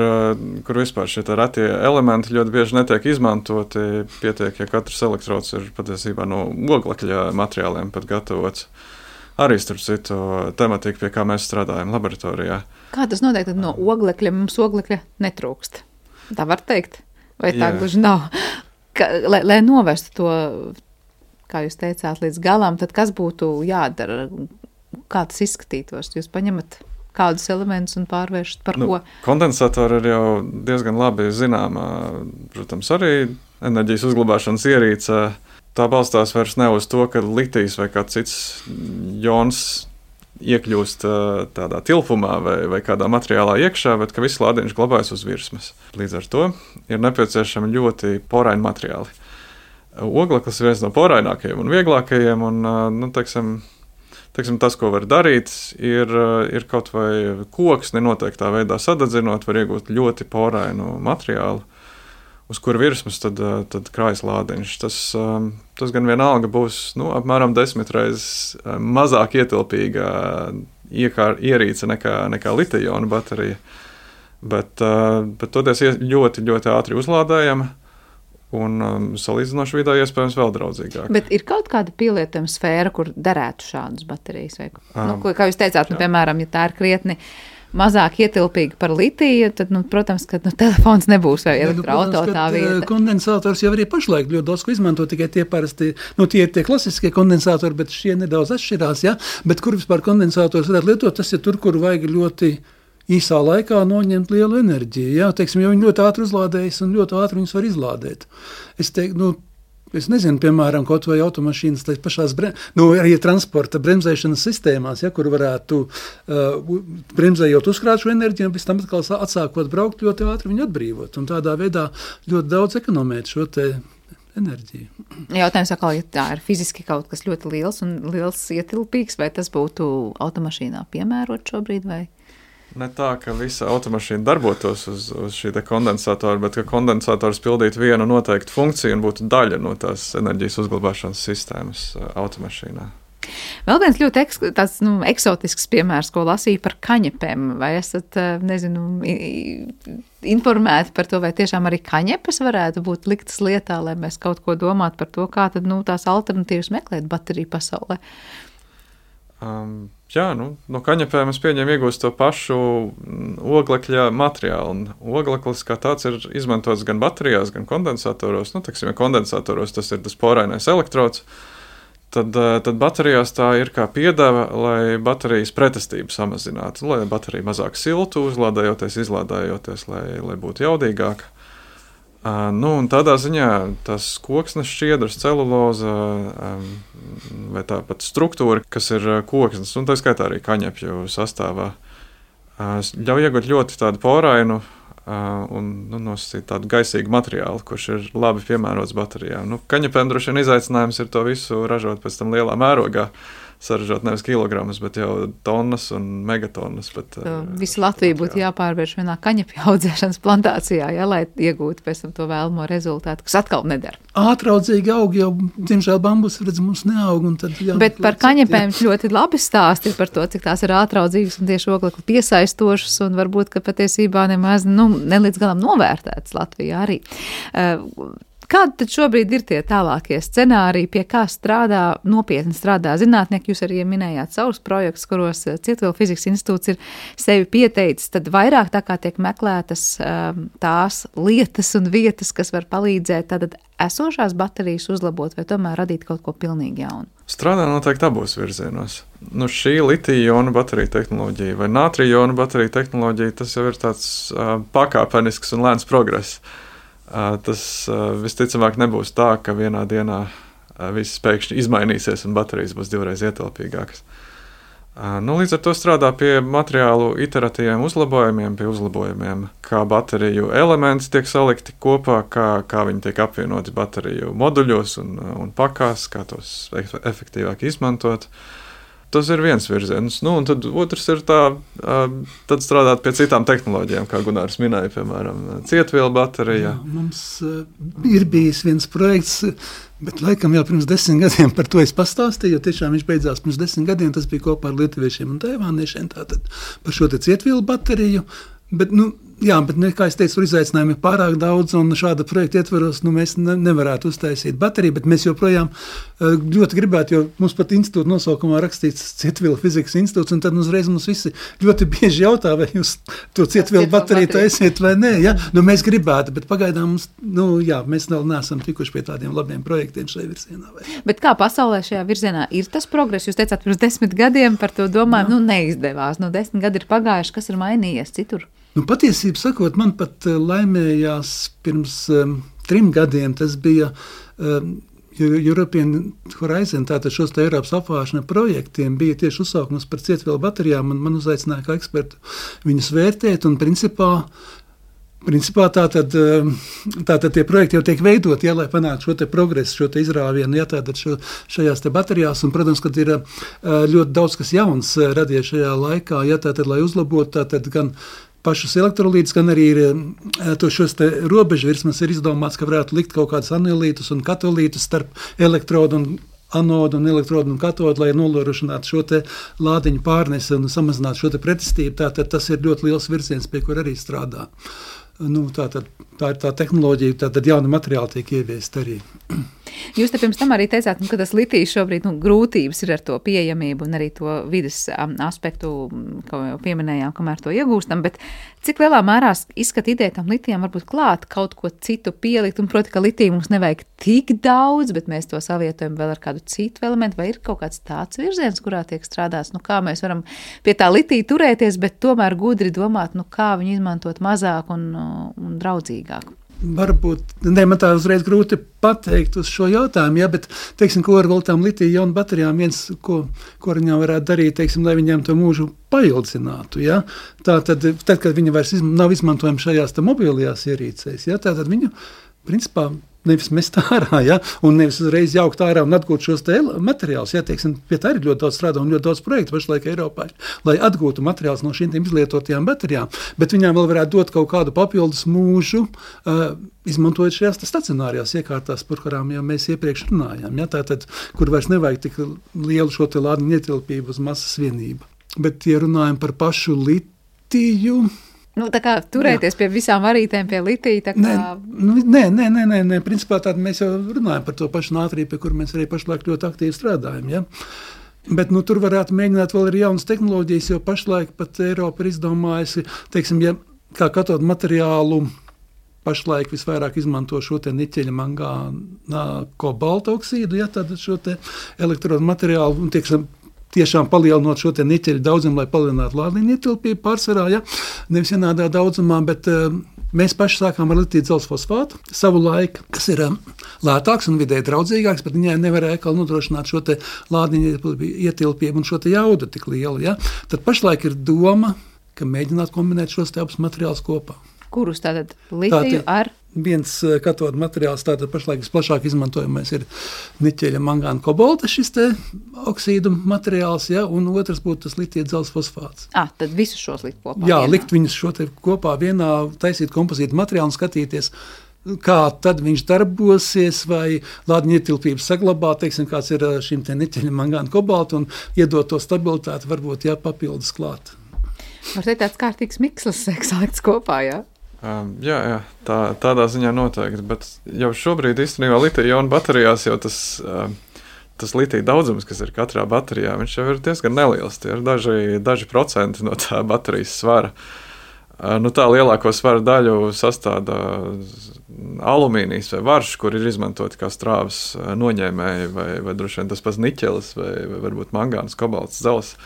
kur vispār šie retie elementi ļoti bieži netiek izmantoti. Pietiek, ja katrs elektrods ir patiesībā no oglekļa materiāliem pat gatavots. Arī starp citu tematika, pie kā mēs strādājam laboratorijā. Kā tas notiek, tad no oglekļa mums oglekļa netrūkst? Tā var teikt? Vai tā gluži nav? Ka, lai, lai novestu to, kā jūs teicāt, līdz galam, tad kas būtu jādara? Kā tas izskatītos? Jūs paņemat kādus elementus un pārvēršat par nu, ko? Kondensatori ir jau diezgan labi zināmā, protams, arī enerģijas uzglabāšanas ierīce. Tā balstās vairs ne uz to, ka litijs vai kāds cits jons iekļūst tādā tilpumā vai, vai kādā materiālā iekšā, bet ka viss lādiņš glabājas uz virsmas. Līdz ar to ir nepieciešami ļoti poraini materiāli. Ogleklis ir viens no porainākajiem un vieglākajiem, un, nu, teiksim, Teiksim, tas, ko var darīt, ir, ir kaut vai koksni noteiktā veidā sadedzinot, var iegūt ļoti porainu materiālu, uz kura virsmas tad, tad krājas lādiņš. Tas, tas gan vienalga būs nu, apmēram desmit reizes mazāk ietilpīga iekār, ierīce nekā, nekā litija-jona baterija, bet, bet toties ļoti, ļoti ātri uzlādējama. Un um, salīdzinoši vidē iespējams vēl draudzīgāk. Bet ir kaut kāda pielietojuma sfēra, kur derētu šādas baterijas? Vai, um, nu, ko, kā jūs teicāt, nu, piemēram, ja tā ir krietni mazāk ietilpīga par litiju, tad, nu, protams, ka nu, telefons nebūs vai elektroauto tā vieta. Kondensators jau arī pašlaik ļoti daudz ko izmanto, tikai tie parasti, nu, tie ir tie klasiskie kondensatori, bet šie nedaudz atšķirās, ja? Bet kur vispār kondensators varētu lietot, tas ir tur, kur vajag ļoti īsā laikā noņemt lielu enerģiju. Jā, teiksim, jo viņi ļoti ātri uzlādējas un ļoti ātri viņus var izlādēt. Es teiktu, nu, es nezinu, piemēram, kaut vai automašīnas pašās, bre... nu, arī transporta bremzēšanas sistēmās, ja, kur varētu uh, bremzējot uzkrāt šo enerģiju un pēc tam atkal atsākot braukt ļoti ātri viņu atbrīvot. Un tādā veidā ļoti daudz ekonomēt šo te enerģiju. Jautājums atkal, ja tā ir fiziski kaut kas ļoti liels un liels ietilpīgs, vai tas būtu automašīnā piemērot šobrīd vai? Ne tā, ka visa automašīna darbotos uz, uz šī kondensatora, bet ka kondensators pildītu vienu noteiktu funkciju un būtu daļa no tās enerģijas uzglabāšanas sistēmas automašīnā. Vēl viens ļoti eks, tāds, nu, eksotisks piemērs, ko lasīju par kaņepēm. Vai esat, nezinu, informēti par to, vai tiešām arī kaņepes varētu būt liktas lietā, lai mēs kaut ko domātu par to, kā tad, nu, tās alternatīvas meklēt bateriju pasaulē? Um, jā, nu, no kaņepēm es pieņemu iegūst to pašu oglekļa materiālu. Un ogleklis kā tāds ir izmantots gan baterijās, gan kondensatoros. Nu, teiksim, ja kondensatoros tas ir tas porainais elektrods, tad, tad baterijās tā ir kā piedeva, lai baterijas pretestību samazinātu, lai baterija mazāk siltu, uzlādējoties, izlādējoties, lai, lai būtu jaudīgāka. Uh, nu, un tādā ziņā tas koksnes šķiedras, celuloza um, vai tāpat struktūra, kas ir koksnes, un tā skaitā arī kaņepju sastāvā, uh, ļauj iegūt ļoti tādu porainu uh, un nu, nosacīt tādu gaisīgu materiālu, kurš ir labi piemērots baterijām. Nu, kaņepēm droši vien izaicinājums ir to visu ražot pēc tam lielā mērogā, saražot nevis kilogramus, bet jau tonnas un megatonnas. Bet, Visu Latviju būtu jāpārvērš vienā kaņepju audzēšanas plantācijā, ja, lai iegūtu pēc tam to vēlamo rezultātu, kas atkal nedara. Ātraudzīgi aug, jau, diemžēl, bambus, redz, mums neaug. Un tad jā, bet par kaņepēm ļoti labi stāsti par to, cik tās ir ātraudzīgas un tieši oglekli piesaistošas un varbūt, ka patiesībā nemaz, nu, nelīdz galam novērtētas Latvijā arī. Uh, Kādi tad šobrīd ir tie tālākie scenāriji, pie kā strādā, nopietni strādā zinātnieki? Jūs arī minējāt savus projektus, kuros Cietvielu fizikas institūts ir sevi pieteicis, tad vairāk tā kā tiek meklētas um, tās lietas un vietas, kas var palīdzēt tātad esošās baterijas uzlabot vai tomēr radīt kaut ko pilnīgi jaunu? Strādā noteikti abos virzienos. Nu, šī litija-ionu bateriju tehnoloģija vai nātrija-ionu bateriju tehnoloģija, tas jau ir tāds uh, pakāpenisks un lēns progress. Uh, tas uh, visticamāk nebūs tā, ka vienā dienā uh, viss pēkšņi izmainīsies un baterijas būs divreiz ietilpīgākas. Uh, nu, līdz ar to strādā pie materiālu iteratīviem uzlabojumiem, pie uzlabojumiem, kā bateriju elementi tiek salikti kopā, kā, kā viņi tiek apvienoti bateriju moduļos un, un pakās, kā tos efektīvāk izmantot. Tas ir viens virziens. Nu, un tad otrs ir tā, tad strādāt pie citām tehnoloģijām, kā Gunārs minēja, piemēram, cietvielu baterija. Jā, mums ir bijis viens projekts, bet laikam jau pirms desmit gadiem par to es pastāstīju, jo tiešām viņš beidzās pirms desmit gadiem, tas bija kopā ar lietuviešiem un taivāniešiem, tātad par šo te cietvielu bateriju. Bet, nu, jā, bet, ne, kā es teicu, izaicinājumi ir pārāk daudz, un šāda projekta ietvaros nu, mēs ne, nevarētu uztaisīt bateriju, bet mēs joprojām uh, ļoti gribētu, jo mums pat institūta nosaukumā rakstīts Cietvielu fizikas institūts, un tad uzreiz mums visi ļoti bieži jautā, vai jūs to cietvielu bateriju taisiet vai nē. Ja? Nu, mēs gribētu, bet pagaidām mums, nu, jā, mēs vēl neesam tikuši pie tādiem labiem projektiem šajā virzienā. Vai? Bet kā pasaulē šajā virzienā ir tas progress? Jūs teicāt, pirms desmit gadiem par to domājam, nu neizdevās, nu desmit gadi ir pagājuši, kas ir mainījies citur? Nu, patiesību sakot, man pat laimējās pirms um, trim gadiem, tas bija um, European Horizon, tātad šos te Eiropas apvāršana projektiem, bija tieši uzsaukums par cietvielu baterijām, un man uzaicināja kā ekspertu viņus vērtēt, un principā, principā tātad, tātad tie projekti jau tiek veidot, ja, lai panāktu šo te progresu, šo te izrāvienu, ja, tātad šo, šajās te baterijās, un, protams, kad ir ļoti daudz kas jauns radies šajā laikā, ja, tātad, lai uzlabotu, tātad gan pašus elektrolītus, gan arī ir to šos te robežu virsmas ir izdomāts, ka varētu likt kaut kādus anilītus un katolītus starp elektrodu un anodu un elektrodu un katodu, lai nolorošinātu šo te lādiņu pārnesi un samazinātu šo te pretestību. Tātad tas ir ļoti liels virziens, pie kur arī strādā. Nu, tātad, tā ir tā tehnoloģija, tātad jauna materiāla tiek ieviest arī. Jūs te pirms tam arī teicāt, nu, ka tas litijs šobrīd nu, grūtības ir ar to pieejamību un arī to vides um, aspektu, ko jau pieminējām, kamēr to iegūstam, bet cik lielā mērā izskat ideja tam litijam varbūt klāt kaut ko citu pielikt, un proti, ka litiju mums nevajag tik daudz, bet mēs to savietojam vēl ar kādu citu elementu, vai ir kaut kāds tāds virziens, kurā tiek strādāts, nu kā mēs varam pie tā litija turēties, bet tomēr gudri domāt, nu kā viņu izmantot mazāk un, un draudzīgāk. Varbūt, ne, man tā uzreiz grūti pateikt uz šo jautājumu, ja, bet, teiksim, ko ar vēl tām litija-ionu baterijām viens, ko, ko viņām varētu darīt, teiksim, lai viņām to mūžu paildzinātu, ja. Tā tad, tad, kad viņi vairs izm- nav izmantojami šajās te mobilajās ierīcēs, ja, tā tad viņu, principā, nevis mest ārā, ja, un nevis uzreiz jaukt ārā un atgūt šos te materiālus, ja, teiksim, pie tā ir ļoti daudz strādā un ļoti daudz projektu pašlaik Eiropā, lai atgūtu materiālus no šīm izlietotajām baterijām, bet viņām vēl varētu dot kaut kādu papildus mūžu, uh, izmantojot šajās stacionārajās iekārtās, par kurām jau mēs iepriekš runājām, ja, tātad, kur vairs nevajag tik lielu šo te lādiņu ietilpību uz masas vienību. Bet, ja runājam par pašu litiju, Nu, tā kā turēties jā. Pie visām varītēm, pie litija, tā kā... Nē, nu, nē, nē, nē, nē, nē, principā tāda mēs jau runājam par to pašu nātriju, pie kur mēs arī pašlaik ļoti aktīvi strādājam, ja. Bet, nu, tur varētu mēģināt vēl arī jaunas tehnoloģijas, jo pašlaik pat Eiropa ir izdomājusi, teiksim, ja kā katodu materiālu pašlaik visvairāk izmanto šo te niķeļa mangāna kobalta oksīdu, ja, tad šo te elektrodu materiālu, un tieksim, tiešām palielinot šo te niķeļu daudzumu, lai palielinātu lādiņu ietilpību pārsvarā, ja, nevis vienādā daudzumā, bet uh, mēs paši sākām ar litiju dzelzfosfātu savu laiku, kas ir um, lētāks un vidēji draudzīgāks, bet viņai nevarēja atkal nodrošināt šo te lādiņu ietilpību un šo te jaudu tik lielu, ja. Tad pašlaik ir doma, ka mēģināt kombinēt šos te abus materiālus kopā. Kurus tātad litiju tātad, ar? viens katodu materiāls, tātad pašlaik visplašāk izmantojamais ir niķeļa, mangāna, kobalta šis te oksīdu materiāls, ja, un otrs būtu tas litija dzelzs fosfāts. Ah, tad visus šos likt kopā? Jā, vienā. likt viņus šo te kopā vienā, taisīt kompozītu materiālu un skatīties, kā tad viņš darbosies, vai lādiņa ietilpības saglabā, teiksim, kāds ir šim te niķeļa, mangāna, kobalta, un iedot to stabilitāti, varbūt, jā, papildus klāt. Var teikt, tāds kārtīgs mikslis salikts kopā, jā? Um, jā, jā tā, tādā ziņā noteikti, bet jau šobrīd īstenībā litija-ionu baterijās jau tas, um, tas litija daudzums, kas ir katrā baterijā, viņš jau ir diezgan neliels. Tie ir daži, daži procenti no tā baterijas svara. Uh, nu, tā lielāko svara daļu sastāda alumīnijas vai varš, kur ir izmantoti kā strāvas noņēmēji, vai, vai droši vien tas pats niķelis, vai, vai varbūt mangāns, kobalts, zelts.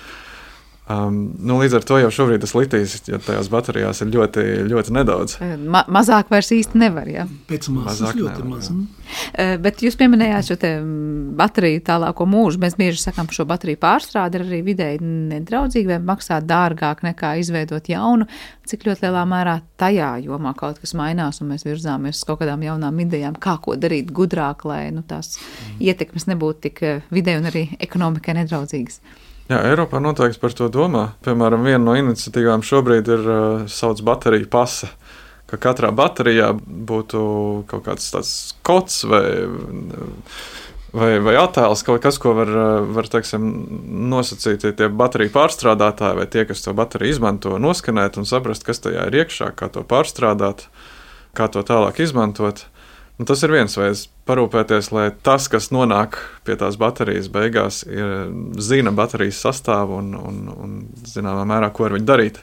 Um, nu, līdz ar to jau šobrīd tas litijs, ja tajās baterijās ir ļoti, ļoti nedaudz. Ma mazāk vairs īsti nevar, jā? Pēc masas ļoti nevar, maz. Uh, bet jūs pieminējāt šo te bateriju tālāko mūžu. Mēs bieži sakām, ka šo bateriju pārstrāde ir arī vidēji nedraudzīgi vai maksā dārgāk nekā izveidot jaunu. Cik ļoti lielā mērā tajā jomā kaut kas mainās un mēs virzāmies uz kaut kādām jaunām idejām, kā ko darīt gudrāk, lai nu, tās mm. ietekmes nebūtu tik vidēji un arī ekonomikai nedraudzīgas? Jā, Eiropā noteikti par to domā. Piemēram, viena no iniciatīvām šobrīd ir uh, sauc bateriju pase, ka katrā baterijā būtu kaut kāds tāds kods vai, vai, vai attēls, kaut kas, ko var, var teiksim, nosacīt tie bateriju pārstrādātāji vai tie, kas to bateriju izmanto, noskanēt un saprast, kas tajā ir iekšā, kā to pārstrādāt, kā to tālāk izmantot. Un tas ir viens veids parūpēties, lai tas, kas nonāk pie tās baterijas beigās, ir, zina baterijas sastāvu un, un, un zināmā mērā, ko ar viņu darīt.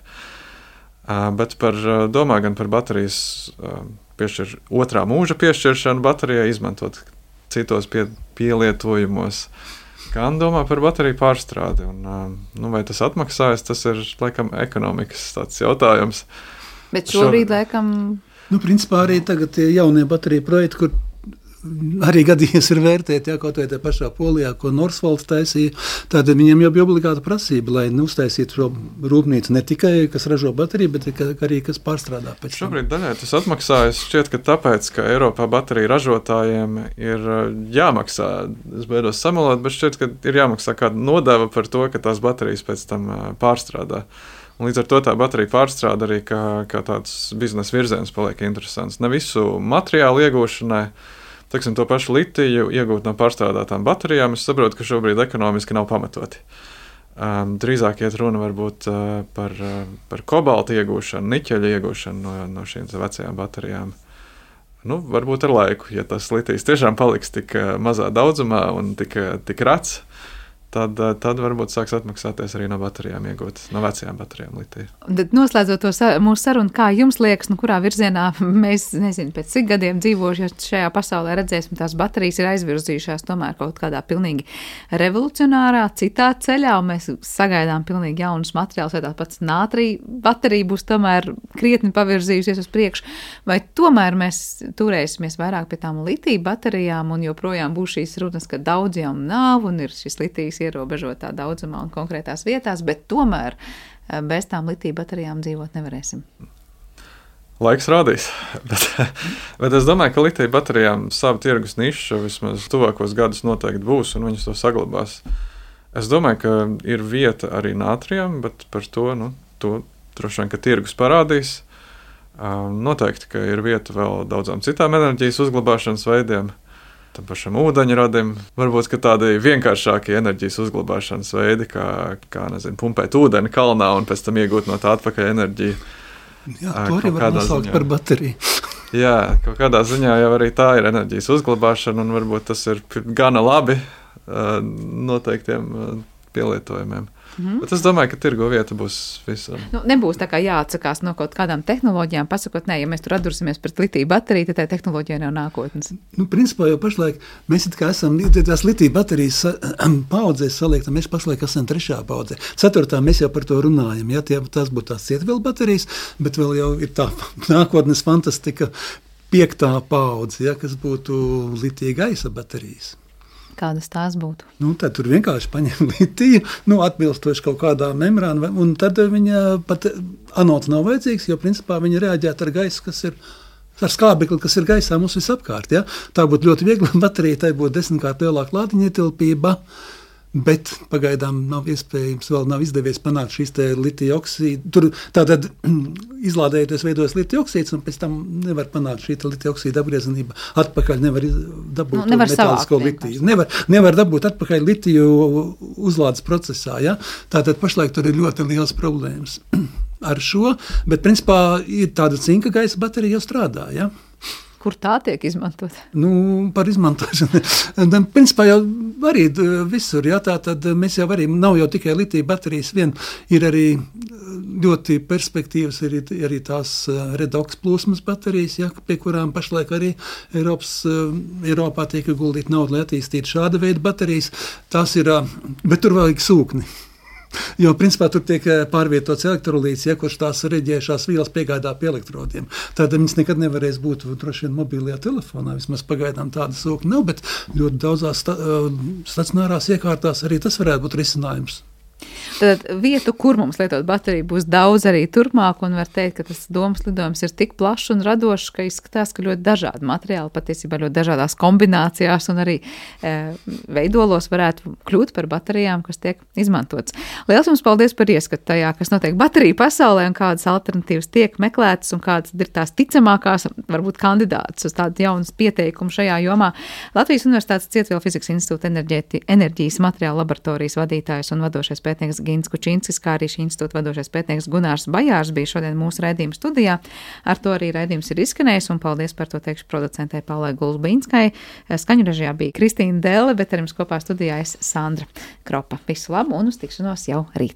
Uh, bet par, domā gan par baterijas uh, piešķir, otrā mūža piešķiršanu baterijai, izmantot citos pie, pielietojumos, gan domā par bateriju pārstrādi. Un, uh, nu, vai tas atmaksājas, tas ir laikam ekonomikas tāds jautājums. Bet šobrīd Šo... laikam... Nu, principā arī tagad tie jaunie bateriju projekti, kur arī gadījies ir vērtēt, jā, kaut vai tā pašā Polijā, ko Northvolts taisīja, tad viņiem jau bija obligāta prasība, lai uztaisītu šo rūpnīcu ne tikai, kas ražo bateriju, bet arī, kas pārstrādā pēc tam. Šobrīd daļai tas atmaksājas šķiet, ka tāpēc, ka Eiropā bateriju ražotājiem ir jāmaksā, es beidos samalot, bet šķiet, ka ir jāmaksā kāda nodeva par to, ka tās baterijas pēc tam pārstrādā. Un līdz ar to tā baterija pārstrāde arī kā, kā tāds biznesa virziens paliek interesants. Ne visu materiālu iegūšanai, teiksim, to pašu litiju iegūt no pārstrādātām baterijām, es saprotu, ka šobrīd ekonomiski nav pamatoti. Um, drīzāk iet runa varbūt uh, par, uh, par kobalta iegūšanu, niķeļa iegūšanu no, no šīm vecajām baterijām. Nu, varbūt ar laiku, ja tas litijs tiešām paliks tik uh, mazā daudzumā un tik, uh, tik rats, Tad, tad varbūt sāks atmaksāties arī no baterijām iegūt, no vecajām baterijām litiju. Tad noslēdzot to sa mūsu sarunu, kā jums liekas, nu kurā virzienā mēs, nezinu, pēc cik gadiem dzīvojuši šajā pasaulē redzēsim, tās baterijas ir aizvirzījušās tomēr kaut kādā pilnīgi revolucionārā, citā ceļā, un mēs sagaidām pilnīgi jaunus materiālus, vai tā pats nātrija baterija būs tomēr krietni pavirzījusies uz priekšu, vai tomēr mēs turēsimies vairāk pie tām litiju baterijām un joprojām būs šīs runas, ka daudz jau nav un ir šis litijs ierobežotā daudzumā un konkrētās vietās, bet tomēr bez tām litiju baterijām dzīvot nevarēsim. Laiks rādīs, bet, bet es domāju, ka litiju baterijām savu tirgus nišu vismaz tuvākos gadus noteikti būs un viņas to saglabās. Es domāju, ka ir vieta arī nātrijam, bet par to, nu, to droši vien, ka tirgus parādīs. Noteikti, ka ir vieta vēl daudzām citām enerģijas uzglabāšanas veidiem. Tam pašam ūdeņradim, varbūt tādi vienkāršākie enerģijas uzglabāšanas veidi, kā, kā nezinu, pumpēt ūdeni kalnā un pēc tam iegūt no tā atpakaļ enerģiju. Jā, to arī var nosaukt par bateriju. Jā, kaut kādā ziņā jau arī tā ir enerģijas uzglabāšana un varbūt tas ir gana labi noteiktiem pielietojumiem. Mm. Bet es domāju, ka tirgo vieta būs visam. Nu, nebūs tā kā jāatsakās no kaut kādām tehnoloģijām, pasakot, nē, ja mēs tur atdursimies pret litiju bateriju, tad tā tehnoloģija nav nākotnes. Nu, principā jau pašlaik mēs it kā esam, tās litiju baterijas paudzēs saliektam, mēs pašlaik esam trešā paudzē. Ceturtā mēs jau par to runājam, ja tie, tās būtu tās cietvielu baterijas, bet vēl jau ir tā nākotnes fantastika piektā paudze, ja, kas būtu litija gaisa baterijas. Kādas tās būtu? Nu, tad tur vienkārši paņem litiju, nu, atbilstoši kaut kādā membrāna, un tad viņa pat anods nav vajadzīgs, jo principā viņa reaģētu ar gaisu, kas ir ar skābekli, kas ir gaisā mums visapkārt. Ja? Tā būtu ļoti viegla baterija, tai būtu desmitkārt lielāka lādiņa ietilpība. Bet pagaidām nav iespējams, vēl nav izdevies panākt šīs litija oksīdu. Tur tātad izlādējoties veidojas litija oksīds, un pēc tam nevar panākt šī litija oksīda apgriezenība. Atpakaļ nevar dabūt nu, nevar metālisko litiju. Nevar, nevar dabūt atpakaļ litiju uzlādes procesā. Ja? Tātad pašlaik tur ir ļoti liels problēmas ar šo, bet principā ir tāda cinka gaisa baterija jau strādā. Ja? Kur tā tiek izmantot? Nu, par izmantošanu. Principā jau arī visur, jā, tā tad mēs jau arī, nav jau tikai litija baterijas vien, ir arī ļoti perspektīvas, ir arī tās redoks plūsmas baterijas, jā, pie kurām pašlaik arī Eiropas, Eiropā tiek guldīt naudu, lai attīstītu šāda veida baterijas. Tās ir, bet tur vajag sūkni. Jo, principā, tur tiek pārvietots elektrolīts, ja, kurš tās reģējušās vielas piegādā pie elektrodiem. Tad viņas nekad nevarēs būt droši vien mobilajā telefonā. Vismaz pagaidām tāda sūkņa nav, bet ļoti daudzās sta- stacionārās iekārtās arī tas varētu būt risinājums. Tad vietu, kur mums lietot bateriju, būs daudz arī turpmāk, un var teikt, ka tas domas lidojums ir tik plašs un radošs, ka izskatās, ka ļoti dažādi materiāli, patiesībā ļoti dažādās kombinācijās un arī e, veidolos varētu kļūt par baterijām, kas tiek izmantotas. Liels jums paldies par ieskatu tajā, kas notiek bateriju pasaulē un kādas alternatīvas tiek meklētas un kādas ir tās ticamākās, varbūt kandidātas uz tādu jaunas pieteikumu šajā jomā. Latvijas Universitātes Cietvielu fizikas institūta enerģēti, enerģijas materiālu laboratorijas vadītājs un vadošais pētnieks Gins Kučinskis, kā arī šī institūta vadošais pētnieks Gunārs Bajārs bija šodien mūsu raidījuma studijā. Ar to arī raidījums ir izskanējis, un paldies par to teikšu producentei Paulai Gulbīnskai. Skaņu režijā bija Kristīna Dēle, bet ar jums kopā studijā es Sandra Kropa. Visu labu un uz tikšanos jau rīt!